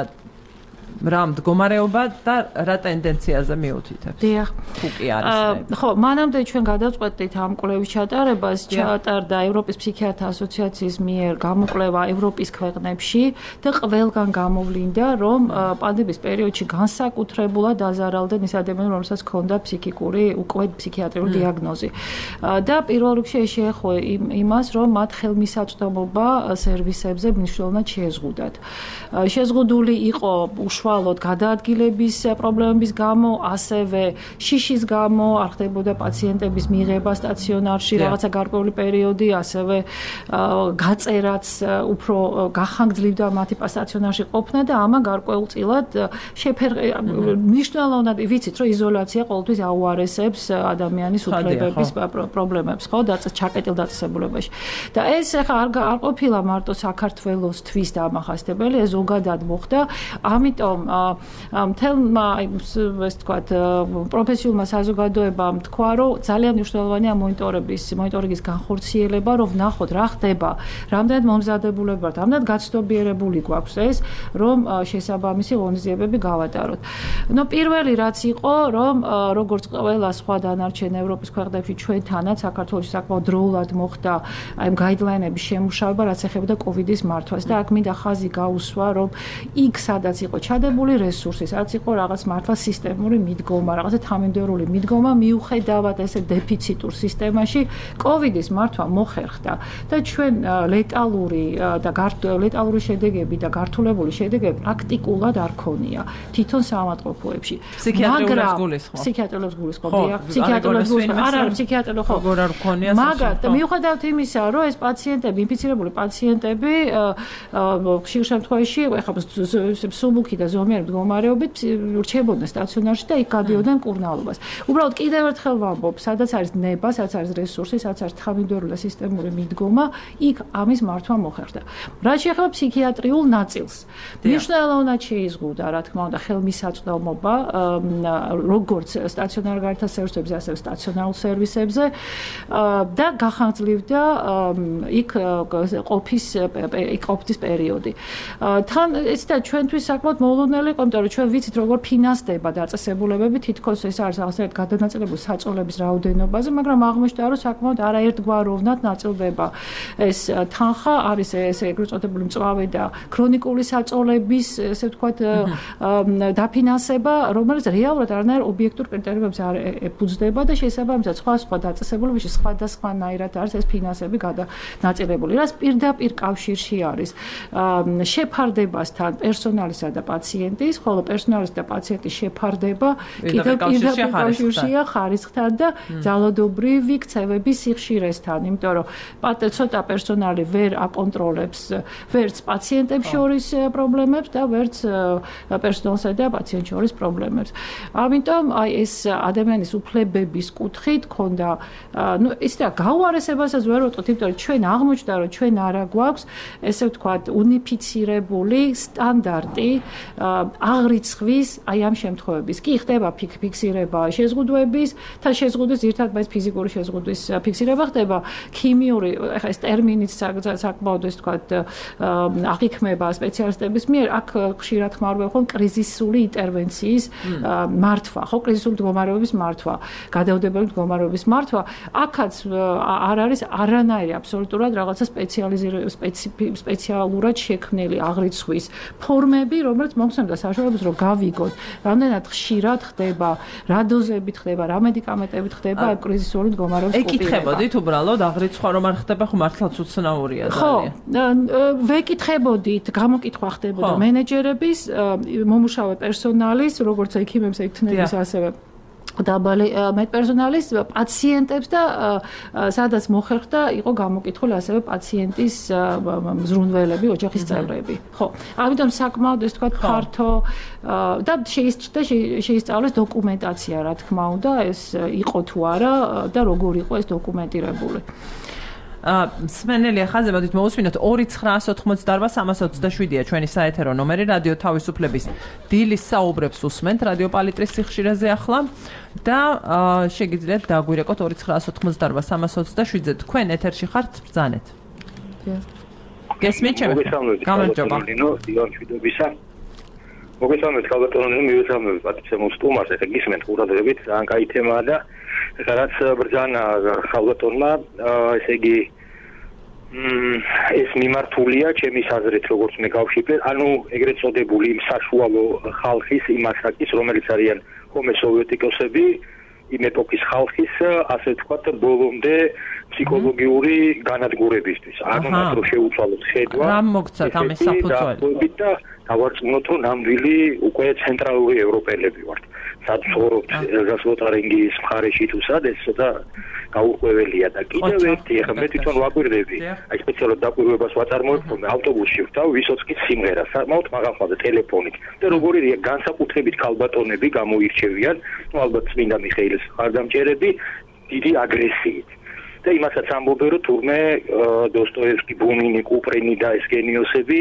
რა მდგომარეობა და რა ტენდენციაზე მიუთითებს? დიახ. თუ კი არის. ხო, მანამდე ჩვენ გადავწყვეტით ამ კვლევის ჩატარებას, ჩატარდა ევროპის ფსიქიატრთა ასოციაციის მიერ გამოკვლევა ევროპის ქვეყნებში და ყველგან გამოვლინდა, რომ პანდემიის პერიოდში განსაკუთრებულად დაზარალდნენ ის ადამიანები, რომელსაც ჰქონდა ფსიქიკური უკვე ფსიქიატრიული დიაგნოზი. და პირველ რიგში შეეხო იმას, რომ მათ ხელმისაწვდომობა სერვისებზე მნიშვნელოვნად შეზღუდათ. შეზღუდული იყო უშუალოდ გადაადგილების პრობლემების გამო, ასევე შიშის გამო არ ხდებოდა პაციენტების მიღება სტაციონარში, რაღაცა გარკვეული პერიოდი, ასევე გაწერაც უფრო გახანგრძლივდა მათი სტაციონარში ყოფნა და ამან გარკვეულწილად შეფერხება მნიშვნელოვნად ვიცით, რომ იზოლაცია ყოველთვის აუარესებს ადამიანის უფლებების პრობლემებს, ხო, და ჩაკეტილ დაწესებულებაში. და ეს ახლა არ არ ყოფილა მარტო საქართველოსთვის დამახასიათებელი, ეს ზოგადად მოხდა. ამიტომ მთელმა ეს თქვათ პროფესიულმა საზოგადოებამ თქვა, რომ ძალიან მნიშვნელოვანია მონიტორების მონიტორინგის განხორციელება, რომ ვნახოთ რა ხდება, რამდენად მომზადებულები ვართ, რამდენად გაცნობიერებული გვაქვს ეს, რომ შესაბამისი ღონისძიებები გავატაროთ. ნუ პირველი რაც იყო, რომ როგორც ყველა სხვა დანარჩენ ევროპის ქვეყნებში ჩვენთანაც საქართველოში საკმაოდ დროულად მოხდა აი ამ გაიდლაინების შემუშავება, რაც ეხებოდა კოვიდის მართვას და აქ მინდა ხაზი გაუსვა, რომ იქ სადაც იყო ჩადებული რესურსი, სადაც იყო რაღაც მართლა სისტემური მიდგომა, რაღაცა თანმიმდევრული მიდგომა მიუხედავად ესე დეფიციტურ სისტემაში, კოვიდის მართვა მოხერხდა და ჩვენ ლეტალური და ლეტალური შედეგები და გართულებული შედეგები პრაქტიკულად არ ქონია თვითონ საავადმყოფოებში. ფსიქიატრიულებს გულისხმობ. ფსიქიატრიულებს გულისხმობ, დიახ, ფსიქიატრიულებს გულისხმობ. არა, ფსიქიატრიულო ხო. როგორ არ ქონია? მაგრამ მიუხედავად იმისა, რომ ეს პაციენტები, ინფიცირებული პაციენტები ხშირ შემთხვევაში ეხლა სუბუქი და ზომიერი მდგომარეობით რჩებოდნენ სტაციონარში და იქ გადიოდნენ მკურნალობას. უბრალოდ კიდევ ერთხელ ვამბობ, სადაც არის ნება, სადაც არის რესურსი, სადაც არის თანმიმდევრული და სისტემური მიდგომა, იქ ამის მართვა მოხერხდა. რაც შეეხება ფსიქიატრიულ ნაწილს, მნიშვნელოვნად შეიზღუდა, რა თქმა უნდა, ხელმისაწვდომობა, როგორც სტაციონარ გარეთ სერვისებზე, ასევე სტაციონარულ სერვისებზე და გახანგრძლივდა იქ ყოფის იქ ყოფის პერიოდი. თან ეს და ჩვენთვის საკმაოდ საუკუნელი იყო, იმიტომ რომ ჩვენ ვიცით როგორ ფინანსდება დაწესებულებები, თითქოს ეს არის რაღაცნაირად გადანაწილებული საწოლების რაოდენობაზე, მაგრამ აღმოჩნდა რომ საკმაოდ არაერთგვაროვნად ნაწილდება ეს თანხა, არის ეს ეგრეთ წოდებული მწვავე და ქრონიკული საწოლების, ესე ვთქვათ, დაფინანსება, რომელიც რეალურად არანაირ ობიექტურ კრიტერიუმებს არ ეფუძნება და შესაბამისად სხვა სხვა დაწესებულებებში სხვადასხვანაირად არის ეს ფინანსები გადანაწილებული. რაც პირდაპირ კავშირში არის შეფარდებასთან პერსონალისა და პაციენტის, ხოლო პერსონალის და პაციენტის შეფარდება კიდევ პირდაპირ კავშირშია ხარისხთან და ძალადობრივი ქცევების სიხშირესთან, იმიტომ რომ ცოტა პერსონალი ვერ აკონტროლებს ვერც პაციენტებს შორის პრობლემებს და ვერც პერსონალსა და პაციენტ შორის პრობლემებს. ამიტომ აი ეს ადამიანის უფლებების კუთხით ქონდა, ну, ისე რა გაუარესებასაც ვერ ვუტყოთ, იმიტომ რომ ჩვენ აღმოჩნდა, რომ ჩვენ არა გვაქვს, ესე ვთქვათ, უნიფიცირებული სტანდარტი აღრიცხვის აი ამ შემთხვევების. კი ხდება ფიქსირება შეზღუდვების, თან შეზღუდვის ერთად բայց ფიზიკური შეზღუდვის ფიქსირება ხდება, ქიმიური, ეხლა ეს ტერმინიც საკმაოდ ეს ვთქვათ აღიქმება სპეციალისტების მიერ, აქ ხშირად ხმარობენ ხოლმე კრიზისული ინტერვენციის მართვა, ხო, კრიზისული მდგომარეობის მართვა, გადაუდებელი მდგომარეობის მართვა, აქაც არ არის არანაირი აბსოლუტურად რაღაცა სპეციალურად შექმნილი აღრიცხვის ფორმები, რომელიც მოგვცემდა საშუალებას, რომ გავიგოთ, რამდენად ხშირად ხდება, რა დოზებით ხდება, რა მედიკამენტებით ხდება ამ კრიზისული მდგომარეობის კუპირება. ეკითხებოდით უბრალოდ აღრიცხვა რომ არ ხდება, ხო მართლაც უცნაურია ძალიან. ხო, ვეკითხებოდით, გამოკითხვა ხდებოდა მენეჯერების, მომუშავე პერსონალის, როგორც ექიმებს, ექთნების, ასევე დაბალი მედპერსონალის, პაციენტებს და სადაც მოხერხდა იყო გამოკითხული ასევე პაციენტის მზრუნველები, ოჯახის წევრები. ხო, ამიტომ საკმაოდ ეს თქვა ფართო და შეისწავლეს დოკუმენტაცია, რა თქმა უნდა, ეს იყო თუ არა და როგორ იყო ეს დოკუმენტირებული. სმენელია ხაზზე, მოდით მოусმინოთ ორი ცხრაასი ოთხმოცდაარბა სამას ოცდაშვიდია ჩვენი საეთერო ნომერი, რადიო თავისუფლების დილის საუბრებს უსმენთ რადიო პალიტრის სიხშირეზე ახლა და შეგიძლიათ დაგვირეკოთ ორი ცხრაასი ოთხმოცდაარბა სამას ოცდაშვიდზე. თქვენ ეთერში ხართ, ბრძანეთ. გესმით ჩემი? გამარჯობა. მოგესალმებით, მოგესალმებით, ქალბატონო, მივესალმებით პატრიცემ სტუმარს, ეხლა გისმენთ ყურადღებით, ძალიან კაი თემაა და რაც ბრძანა ქალბატონმა, ესე იგი ეს მიმართულია ჩემის აზრით, როგორც მე გავშიფრე, ანუ ეგრეთ წოდებული საშუალო ხალხის იმ ასაკის, რომელიც არიან ჰომო სოვიეტიკოსები, იმ ეპოქის ხალხის, ასე ვთქვათ, ბოლომდე ფსიქოლოგიური განადგურებისთვის. ანუ მათ რო შეუცვალოთ ხედვა. რა მოგცათ ამის საფუძველი? და დავარწმუნოთ, რომ ნამდვილი უკვე ცენტრალური ევროპელები ვართ. სად ცხოვრობთ გასლოტარინგის მხარეში თუ სად, ეს ცოტა გაურკვეველია და კიდევ ერთი, ეხლა მე თვითონ ვაკვირდები, აი სპეციალურად დაკვირვებას ვაწარმოებ, რომ ავტობუსში ვთავ, ვისოცკის სიმღერა, საკმაოდ მაღალხმაზე ტელეფონით. და როგორი განსაკუთრებით ქალბატონები გამოირჩევიან, ну ალბათ წმინდა მიხეილის ხარდამჭერები, დიდი აგრესიით. და იმასაც ამბობენ, რომ თურმე დოსტოევსკი, ბუნინი, კუპრინი და ეს გენიოსები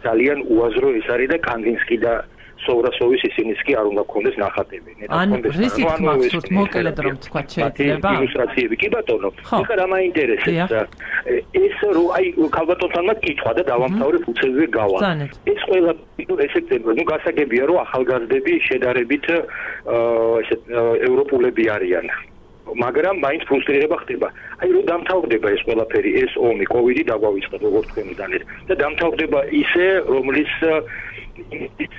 ძალიან უაზრო ეს არის და კანდინსკი და სოვრასოვის ისინიც კი არ უნდა გქონდეს ნახატები. ან რისით მახსოვთ მოკლედ რომ თქვა შეიძლება? ილუსტრაციები კი ბატონო. ეხლა რა მაინტერესებს? ეს რო აი ქალბატონთანმა კითხვა და დავამთავრებ უცებზე გავა. ეს ყველა ესექცია, ну გასაგებია რომ ახალგაზრდები შედარებით ესე ევროპულები არიან. მაგრამ მაინც ფრუსტრირება ხდება. აი რომ დამთავრდება ეს ყველაფერი, ეს ომი, კოვიდი დაგვავიწყდა როგორც თქვენი დანეთ და დამთავრდება ისე, რომლის ის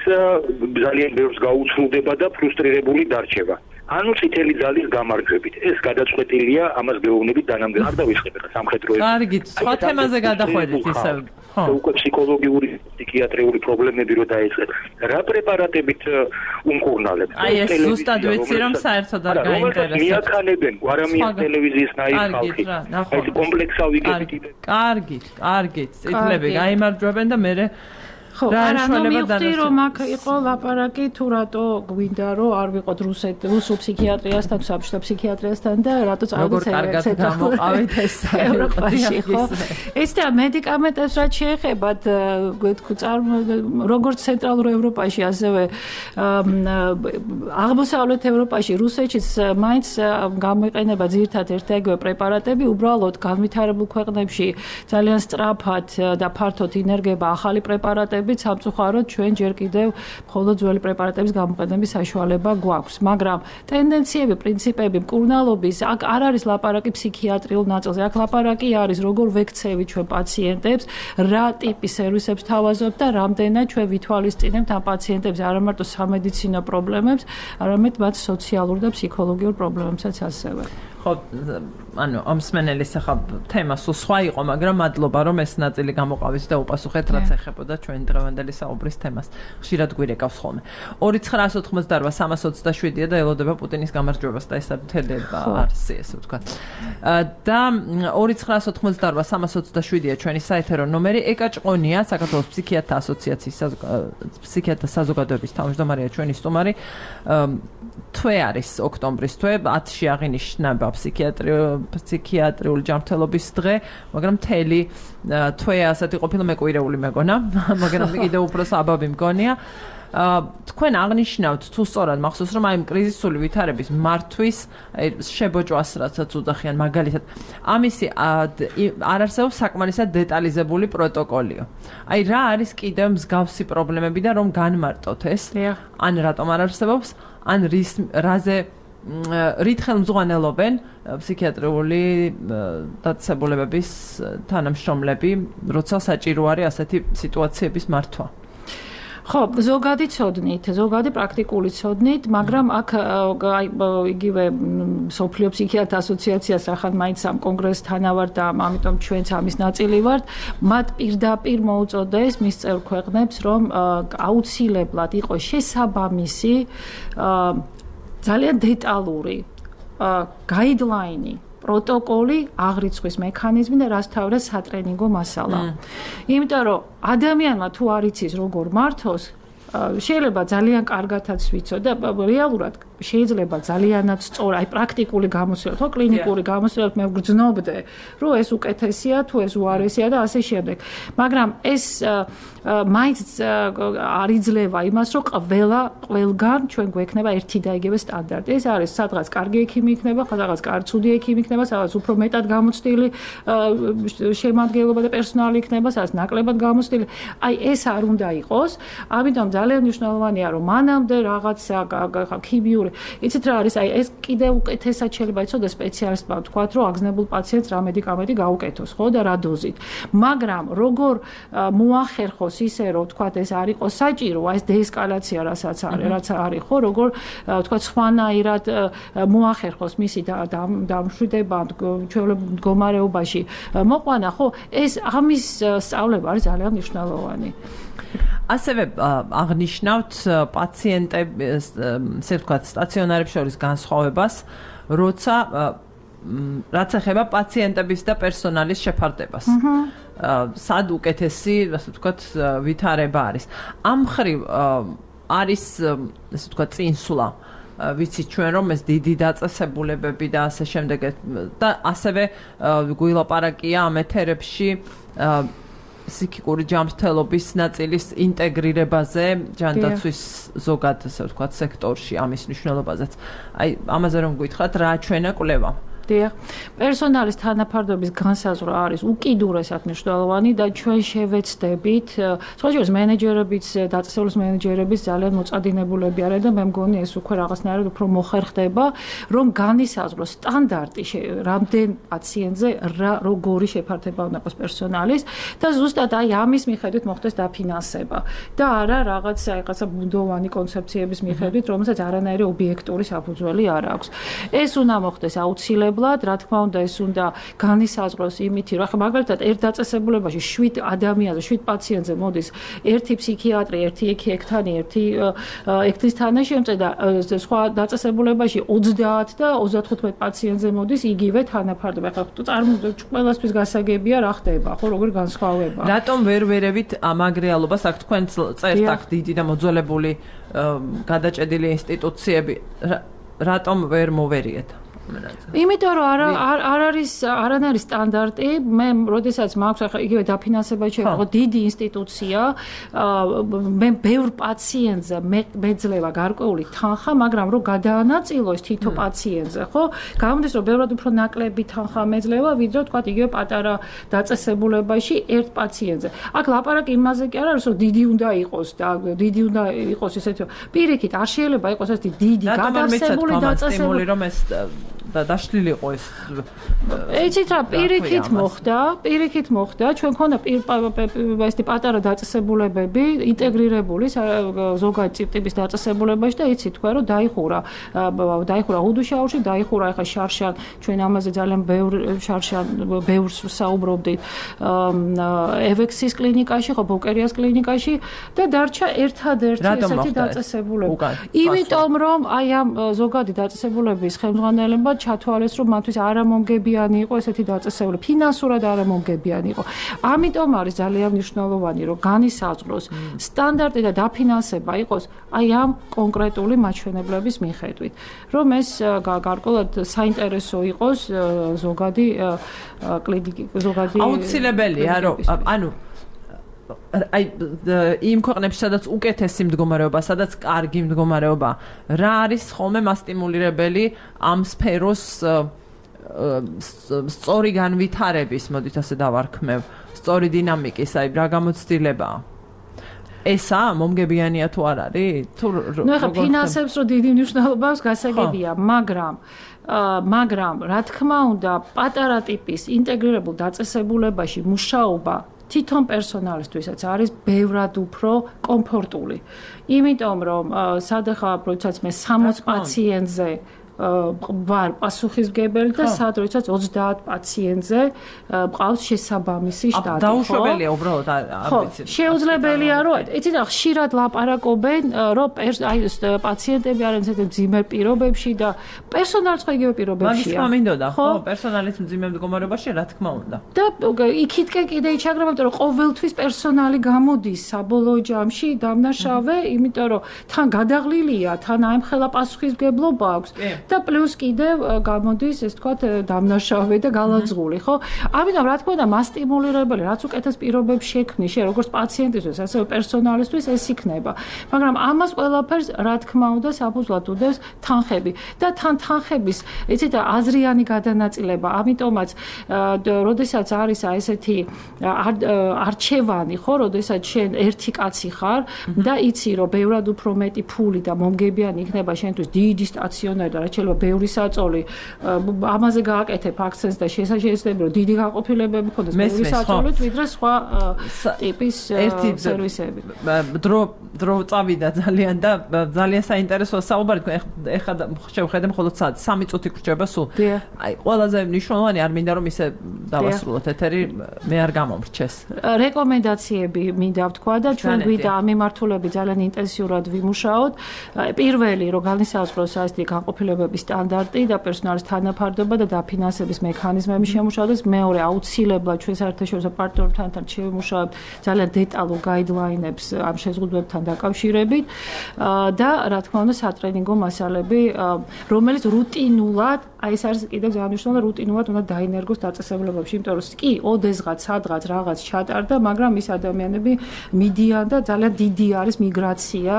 ძალიან ბევრს გაუცლუდება და ფრუსტრირებული დარჩება. ანუ წითელი ძალის გამარჯვებით. ეს გადაწყვეტილია ამას გეუბნებით დანამდე. არ დავისხებ ახლა სამხედრო. კარგი, სხვა თემაზე გადახვედით ისევ. ხო. უკვე ფსიქოლოგიური, ფსიქიატრიული პრობლემები რო დაიწყეთ. რა პრეპარატებით უმკურნალებ? აი ეს ზუსტად ვიცი რომ საერთოდ არ გაინტერესებს. მიაქანებენ გვარამის ტელევიზიის ნაირ ხალხი. აი ეს კომპლექსავი გებით. კარგი, კარგი. წითლები გაიმარჯვებენ და მე ხო, არა, ნუ მივხვდი რომ აქ იყო ლაპარაკი თუ რატო გვინდა რომ არ ვიყოთ რუსეთ რუსულ ფსიქიატრიასთან, საბჭოთა ფსიქიატრიასთან და რატო წავიდეთ ეგრეთ გამოყავით ეს ევროპაში, ხო? ეს და მედიკამენტებს რაც შეეხებათ, როგორც ცენტრალურ ევროპაში, ასევე აღმოსავლეთ ევროპაში, რუსეთშიც მაინც გამოიყენება ძირითადად ერთ-ეგივე პრეპარატები, უბრალოდ განვითარებულ ქვეყნებში ძალიან სწრაფად და ფართოდ ინერგება ახალი პრეპარატები შედარებით სამწუხაროდ ჩვენ ჯერ კიდევ მხოლოდ ძველი პრეპარატების გამოყენების საშუალება გვაქვს, მაგრამ ტენდენციები, პრინციპები, მკურნალობის აქ არ არის ლაპარაკი ფსიქიატრიულ ნაწილზე, აქ ლაპარაკი არის როგორ ვექცევით ჩვენ პაციენტებს, რა ტიპის სერვისებს თავაზობთ და რამდენად ჩვენ ვითვალისწინებთ ამ პაციენტებს არა მარტო სამედიცინო პრობლემებს, არამედ მათ სოციალურ და ფსიქოლოგიურ პრობლემებსაც ასევე. ხო, ანუ ამ სმენელის ახლა თემა სულ სხვა იყო, მაგრამ მადლობა რომ ეს ნაწილი გამოყავით და უპასუხეთ რაც ეხებოდა ჩვენ დღევანდელი საუბრის თემას. ხშირად გვირეკავს ხოლმე. ორი ცხრაას ოთხმოცდაოთხ სამას ოცდაშვიდია და ელოდება პუტინის გამარჯვებას და ეს მთელი არსი ესე ვთქვათ. და ორი ცხრაას ოთხმოცდაოთხ სამას ოცდაშვიდია ჩვენი საეთერო ნომერი. ეკა ჭყონია, საქართველოს ფსიქიატრთა ასოციაციის ფსიქიატრთა საზოგადოების თავმჯდომარეა ჩვენი სტუმარი. თვე არის ოქტომბრის თვე, ათში აღინიშნება ფსიქიატრიული ჯანმრთელობის დღე, მაგრამ მთელი თვე ასეთი ყოფილა მეკვირეული მეგონა, მაგრამ კიდევ უფრო საბაბი მგონია. თქვენ აღნიშნავთ თუ სწორად მახსოვს რომ აი კრიზისული ვითარების მართვის შებოჭვას რასაც უძახიან მაგალითად ამისი არ არსებობს საკმარისად დეტალიზებული პროტოკოლიო. აი რა არის კიდევ მსგავსი პრობლემები და რომ განმარტოთ ეს? ან რატომ არ არსებობს? ან რის რაზე რით ხელმძღვანელობენ ფსიქიატრიული დაწესებულებების თანამშრომლები, როცა საჭირო არის ასეთი სიტუაციების მართვა? ხო, ზოგადი ცოდნით, ზოგადი პრაქტიკული ცოდნით, მაგრამ აქ აი იგივე სოფლიო ფსიქიატრთა ასოციაციას ახლა მაინც ამ კონგრესს თანავარ და ამიტომ ჩვენც ამის ნაწილი ვართ, მათ პირდაპირ მოუწოდეს მის წევრ ქვეყნებს, რომ აუცილებლად იყოს შესაბამისი ძალიან დეტალური გაიდლაინი, პროტოკოლი, აღრიცხვის მექანიზმი და რაც თავრა სატრენინგო მასალა. იმიტომ რომ ადამიანმა თუ არ იცის როგორ მართოს, შეიძლება ძალიან კარგათაც ვიცო და რეალურად შეიძლება ძალიანაც სწორ, აი პრაქტიკული გამოცდილება, ხო, კლინიკური გამოცდილება მე ვგრძნობდე, რომ ეს უკეთესია, თუ ეს უარესია და ასე შემდეგ. მაგრამ ეს მაინც არ იძლევა იმას, რომ ყველა ყველგან ჩვენ გვექნება ერთი და იგივე სტანდარტი. ეს არის სადღაც კარგი ექიმი იქნება, სადღაც კარცუდი ექიმი იქნება, სადღაც უფრო მეტად გამოცდილი შემადგენლობა და პერსონალი იქნება, სადღაც ნაკლებად გამოცდილი. აი ეს არ უნდა იყოს. ამიტომ ძალიან მნიშვნელოვანია, რომ მანამდე რაღაცა ქიმიური იცით რა არის, აი ეს კიდევ უკეთესად შეიძლება იცოდეს სპეციალისტმა ვთქვათ, რომ აგზნებულ პაციენტს რა მედიკამენტი გაუკეთოს, ხო და რა დოზით. მაგრამ როგორ მოახერხოს ისე, რომ ვთქვათ ეს არ იყოს საჭირო, ეს დეესკალაცია რასაც არის, რაც არის, ხო, როგორ ვთქვათ სხვანაირად მოახერხოს მისი დამშვიდება ჩვეულებრივ მდგომარეობაში მოყვანა, ხო, ეს ამის სწავლება არის ძალიან მნიშვნელოვანი. ასევე აღნიშნავთ პაციენტების, ესე ვთქვათ, სტაციონარებს შორის განსხვავებას, როცა რაც ეხება პაციენტების და პერსონალის შეფარდებას. სად უკეთესი, ასე ვთქვათ, ვითარება არის. ამ მხრივ არის, ასე ვთქვათ, წინსვლა. ვიცით ჩვენ რომ ეს დიდი დაწესებულებები და ასე შემდეგ და ასევე გულაპარაკია ამ ეთერებში ფსიქიკური ჯანმრთელობის ნაწილის ინტეგრირებაზე ჯანდაცვის ზოგად ასე ვთქვათ სექტორში ამის მნიშვნელობაზეც. აი ამაზე რომ გითხრათ რა ჩვენა კვლევა? დიახ. პერსონალის თანაფარდობის განსაზღვრა არის უკიდურესად მნიშვნელოვანი და ჩვენ შევეცდებით, სხვაჯერს მენეჯერებიც, დაწესებულის მენეჯერებიც ძალიან მოწადინებულები არიან და მე მგონი ეს უკვე რაღაცნაირად უფრო მოხერხდება, რომ განისაზღვროს სტანდარტი რამდენ პაციენტზე რა როგორი შეფართება უნდა იყოს პერსონალის და ზუსტად აი ამის მიხედვით მოხდეს დაფინანსება და არა რაღაც რაღაცა ბუნდოვანი კონცეფციების მიხედვით, რომელსაც არანაირი ობიექტური საფუძველი არ აქვს. ეს უნდა მოხდეს აუცილებლად რა თქმა უნდა ეს უნდა განისაზღვროს იმითი რომ ახლა მაგალითად ერთ დაწესებულებაში შვიდ ადამიანზე, შვიდ პაციენტზე მოდის ერთი ფსიქიატრი, ერთი ექთანი, ერთი ექთის თანაშემწე და სხვა დაწესებულებაში ოცდაათ და ოცდათხუთმეტ პაციენტზე მოდის იგივე თანაფარდობა. ახლა წარმოვიდგინოთ ყველასთვის გასაგებია რა ხდება, ხო როგორი განსხვავება. რატომ ვერ ვერევით ამ აგრეალობას, აქ თქვენ წერთ აქ დიდი და მოძველებული გადაჭედილი ინსტიტუციები, რატომ ვერ მოვერიეთ? იმიტომ რომ არ არ არის არ არის სტანდარტი, მე როდესაც მაქვს ახლა იგივე დაფინანსება შეეყო დიდი ინსტიტუცია, მე ბევრ პაციენტზე მეძლევა გარკვეული თანხა, მაგრამ რომ გადაანაწილოს თითო პაციენტზე, ხო? გამოდის რომ ბევრად უფრო ნაკლები თანხა მეძლევა, ვიდრე თქვა იგივე პატარა დაწესებულებაში ერთ პაციენტზე. აქ ლაპარაკი იმაზე კი არ არის, რომ დიდი უნდა იყოს და დიდი უნდა იყოს ესეთი პირიქით არ შეიძლება იყოს ეს დიდი გადასებული დაწესებული რომ ეს და დაშლილი იყო ეს. ეცით რა პირიქით მოხდა, პირიქით მოხდა, ჩვენ ქონდა ესეთი პატარა დაწესებულებები ინტეგრირებული ზოგადი ტიპის დაწესებულებაში და იცით თქვა რომ დაიხურა, დაიხურა უდუშაურში, დაიხურა ახლა შარშან, ჩვენ ამაზე ძალიან ბევრ შარშან ბევრს საუბრობდით ევექსის კლინიკაში, ხო ბოკერიას კლინიკაში და დარჩა ერთადერთი ესეთი დაწესებულება. იმიტომ რომ აი ამ ზოგადი დაწესებულების ხელმძღვანელობა ჩათვალეს რომ მათთვის არამომგებიანი იყო ესეთი დაწესებულება, ფინანსურად არამომგებიანი იყო. ამიტომ არის ძალიან მნიშვნელოვანი რომ განისაზღვროს სტანდარტი და დაფინანსება იყოს აი ამ კონკრეტული მაჩვენებლების მიხედვით, რომ ეს გარკვეულად საინტერესო იყოს ზოგადი კლინიკი, ზოგადი აუცილებელია რომ ანუ აი იმ ქვეყნებში სადაც უკეთესი მდგომარეობა, სადაც კარგი მდგომარეობა, რა არის ხოლმე მასტიმულირებელი ამ სფეროს სწორი განვითარების, მოდით ასე დავარქმევ, სწორი დინამიკის, აი რა გამოცდილებაა? ესა მომგებიანია თუ არ არის? თუ ნუ ახლა ფინანსებს რო დიდი მნიშვნელობა აქვს გასაგებია, მაგრამ მაგრამ რა თქმა უნდა, პატარა ტიპის ინტეგრირებულ დაწესებულებაში მუშაობა თვითონ პერსონალისთვისაც არის ბევრად უფრო კომფორტული. იმიტომ რომ სადახა როდესაც მე სამოც პაციენტზე ვარ პასუხისმგებელი და სად როდესაც ოცდაათ პაციენტზე მყავს შესაბამისი შტატი. დაუშვებელია უბრალოდ ამბიცია. შეუძლებელია რომ იცით რა ხშირად ლაპარაკობენ რომ აი პაციენტები არიან ესეთ მძიმე პირობებში და პერსონალიც ხო იგივე პირობებშია. მაგის თქმა მინდოდა, ხო, პერსონალის მძიმე მდგომარეობაში რა თქმა უნდა. და იქითკენ კიდე იჩაგრება, იმიტომ რომ ყოველთვის პერსონალი გამოდის საბოლოო ჯამში დამნაშავე, იმიტომ რომ თან გადაღლილია, თან აემხელა პასუხისმგებლობა აქვს. და პლუს კიდევ გამოდის ეს თქვათ დამნაშავე და გალაძღული, ხო? ამიტომ რა თქმა უნდა მასტიმულირებელი, რაც უკეთეს პირობებს შექმნის, შე როგორც პაციენტისთვის, ასევე პერსონალისთვის ეს იქნება. მაგრამ ამას ყველაფერს რა თქმა უნდა საფუძვლად უდევს თანხები და თან თანხების, იცით, აზრიანი გადანაწილება. ამიტომაც, როდესაც არის აი ესეთი არჩევანი, ხო, როდესაც შენ ერთი კაცი ხარ და იცი, რომ ბევრად უფრო მეტი ფული და მომგებიანი იქნება შენთვის დიდი სტაციონარი და შეიძლება ბევრი საწოლი ამაზე გააკეთებ აქცენტს და შესაძლებელი რომ დიდი განყოფილებები ხონდეს ბევრი საწოლით ვიდრე სხვა ტიპის სერვისები. დრო დრო წავიდა ძალიან და ძალიან საინტერესოა საუბარი. ეხლა შევხედე მხოლოდ სამი წუთი გრჩება სულ. აი ყველაზე მნიშვნელოვანი არ მინდა რომ ისე დავასრულოთ ეთერი, მე არ გამომრჩეს. რეკომენდაციები მინდა ვთქვა და ჩვენ გვიდა ამ მიმართულებით ძალიან ინტენსიურად ვიმუშაოთ. პირველი რომ განისაზღვროს ასეთი განყოფილებების სტანდარტი და პერსონალის თანაფარდობა და დაფინანსების მექანიზმები შემუშავდეს. მეორე აუცილებლად ჩვენ საერთაშორისო პარტნიორებთან შევიმუშავებთ ძალიან დეტალურ გაიდლაინებს ამ შეზღუდვებთან დაკავშირებით და რა თქმა უნდა სატრენინგო მასალები, რომელიც რუტინულად, აი ეს არის კიდევ ძალიან მნიშვნელოვანი, რუტინულად უნდა დაინერგოს დაწესებულებებში, იმიტომ რომ კი ოდესღაც სადღაც რაღაც ჩატარდა, მაგრამ ის ადამიანები მიდიან და ძალიან დიდი არის მიგრაცია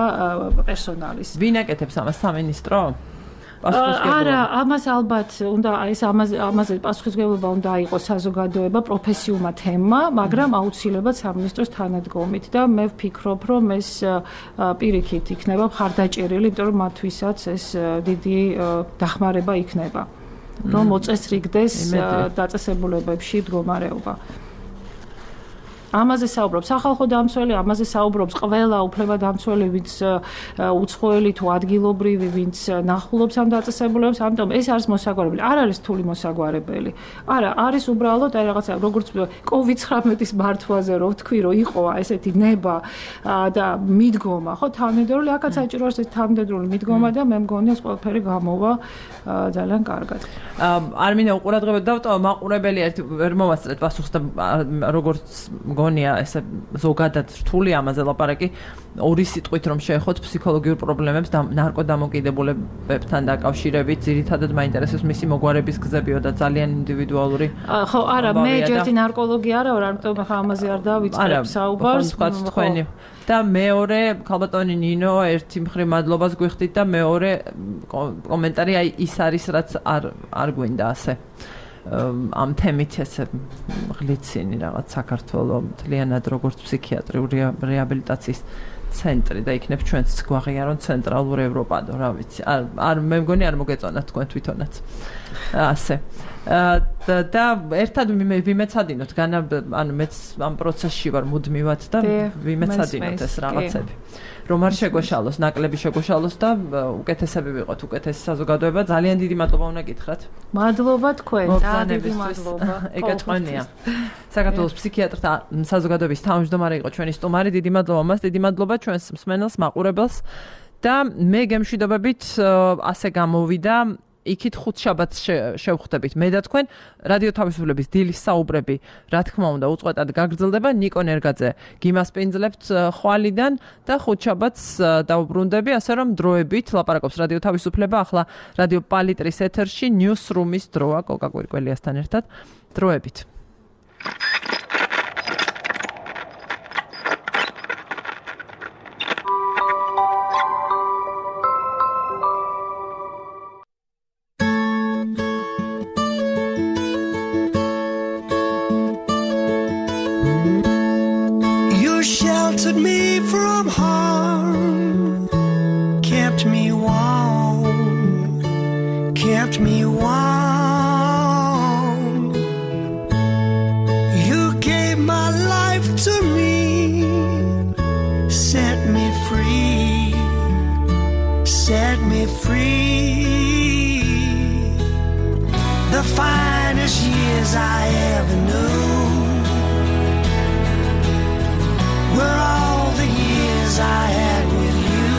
პერსონალის. ვინ აკეთებს ამას, სამინისტრო? არა, ამას ალბათ უნდა ეს ამაზე ამაზე პასუხისმგებლობა უნდა იყოს საზოგადოება, პროფესიულმა თემმა, მაგრამ აუცილებლად სამინისტროს თანადგომით და მე ვფიქრობ, რომ ეს პირიქით იქნება მხარდაჭერილი, იმიტომ რომ მათთვისაც ეს დიდი დახმარება იქნება, რომ მოწესრიგდეს დაწესებულებებში მდგომარეობა. ამაზე საუბრობს სახალხო დამცველი, ამაზე საუბრობს ყველა უფლებადამცველი, ვინც უცხოელი თუ ადგილობრივი, ვინც ნახულობს ამ დაწესებულებებს, ამიტომ ეს არის მოსაგვარებელი. არ არის რთული მოსაგვარებელი. არა, არის უბრალოდ აი რაღაცა როგორც კოვიდ ცხრამეტის მართვაზე რო ვთქვი, რომ იყო ესეთი ნება და მიდგომა, ხო, თანმიმდევრული, აქაც საჭირო არის ეს თანმიმდევრული მიდგომა და მე მგონი ეს ყველაფერი გამოვა ძალიან კარგად. არ მინდა უყურადღებოდ დავტოვო, მაყურებელი ერთი ვერ მოვასწრეთ პასუხს და როგორც მგონია ესე ზოგადად რთული ამაზე ლაპარაკი ორი სიტყვით რომ შეეხოთ ფსიქოლოგიურ პრობლემებს და ნარკოდამოკიდებულებებთან დაკავშირებით ძირითადად მაინტერესებს მისი მოგვარების გზებიო და ძალიან ინდივიდუალური ხო არა მე ერთი ნარკოლოგი არა ვარ ამიტომ ხა ამაზე არ დავიწყებ საუბარს თქვენი და მეორე ქალბატონი ნინო ერთი მხრივ მადლობას გვიხდით და მეორე კომენტარი აი ის არის რაც არ არ გვინდა ასე ამ თემით ესე ღლიცინი რაღაც საქართველოს მთლიანად როგორც ფსიქიატრიული რეაბილიტაციის ცენტრი და იქნებ ჩვენც გვაღიარონ ცენტრალურ ევროპადო რა ვიცი არ არ მე მგონი არ მოგეწონათ თქვენ თვითონაც ასე და ერთად ვიმეცადინოთ განა ანუ მეც ამ პროცესში ვარ მუდმივად და ვიმეცადინოთ ეს რაღაცები რომ არ შეგვეშალოს ნაკლები შეგვეშალოს და უკეთესები ვიყოთ უკეთესი საზოგადოება ძალიან დიდი მადლობა უნდა გითხრათ მადლობა თქვენ ძალიან დიდი მადლობა ეკეთყვენია საქართველოს ფსიქიატრთა საზოგადოების თავმჯდომარე იყო ჩვენი სტუმარი დიდი მადლობა მას დიდი მადლობა ჩვენს მსმენელს მაყურებელს და მე გემშვიდობებით ასე გამოვიდა იქით ხუთ შაბათს შევხვდებით მე და თქვენ რადიო თავისუფლების დილის საუბრები რა თქმა უნდა უწყვეტად გაგრძელდება ნიკო ნერგაძე გიმასპინძლებთ ხვალიდან და ხუთ შაბათს დავუბრუნდები ასე რომ დროებით ლაპარაკობს რადიო თავისუფლება ახლა რადიო პალიტრის ეთერში ნიუსრუმის დროა კოკა კვირკველიასთან ერთად დროებით Sheltered me from harm, kept me warm, kept me warm. You gave my life to me, set me free, set me free. The finest years I ever knew were all the years I had with you,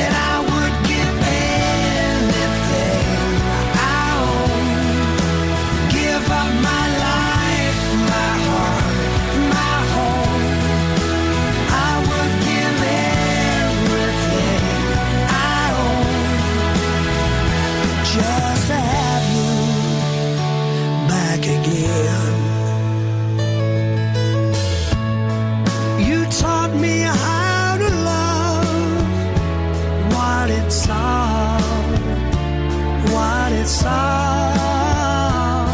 and I would give anything I own, give up my life, my heart, my home. I would give everything I own just to have you back again. Taught me how to love what it's all, what it's all.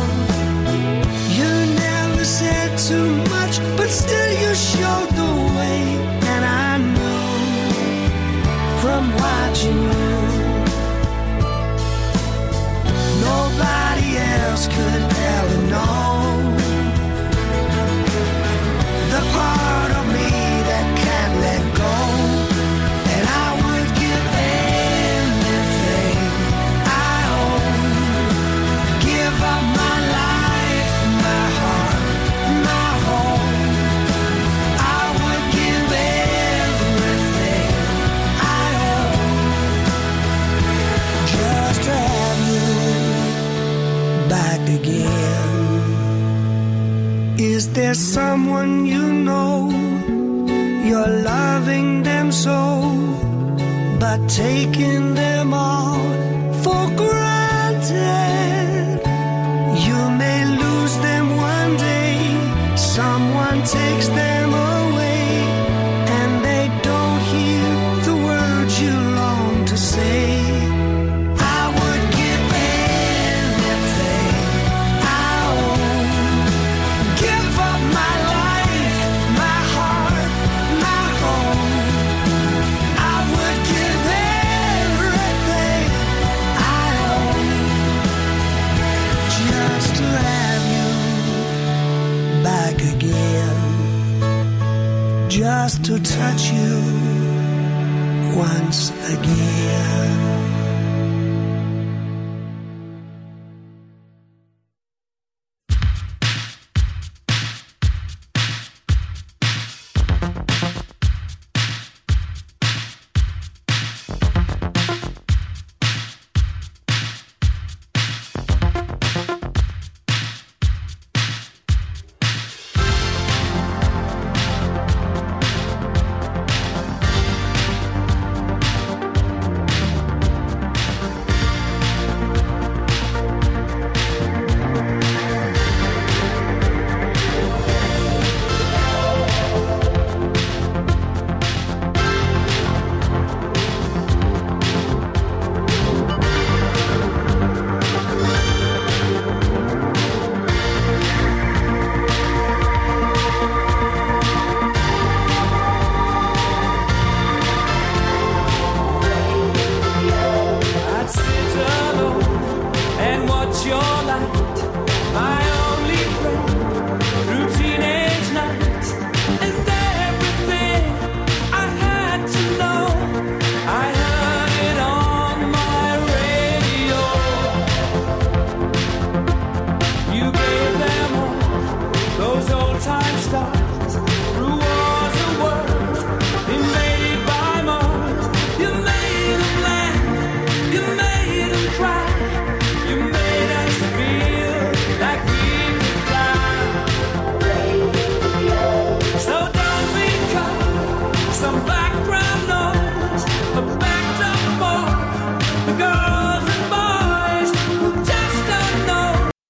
You never said too much, but still you showed the way, and I knew from watching you nobody else could ever know the part of me that can't let go, and I would give anything I own, give up my life, my heart, my home. I would give everything I own just to have you back again. Is there someone you know you're loving them so, but taking them all for granted? You may lose them one day, someone takes them away, and they don't hear the words you long to say. I would give anything I own, give up my life, my heart, my home. I would give everything I own just to have you back again, just to touch you once again.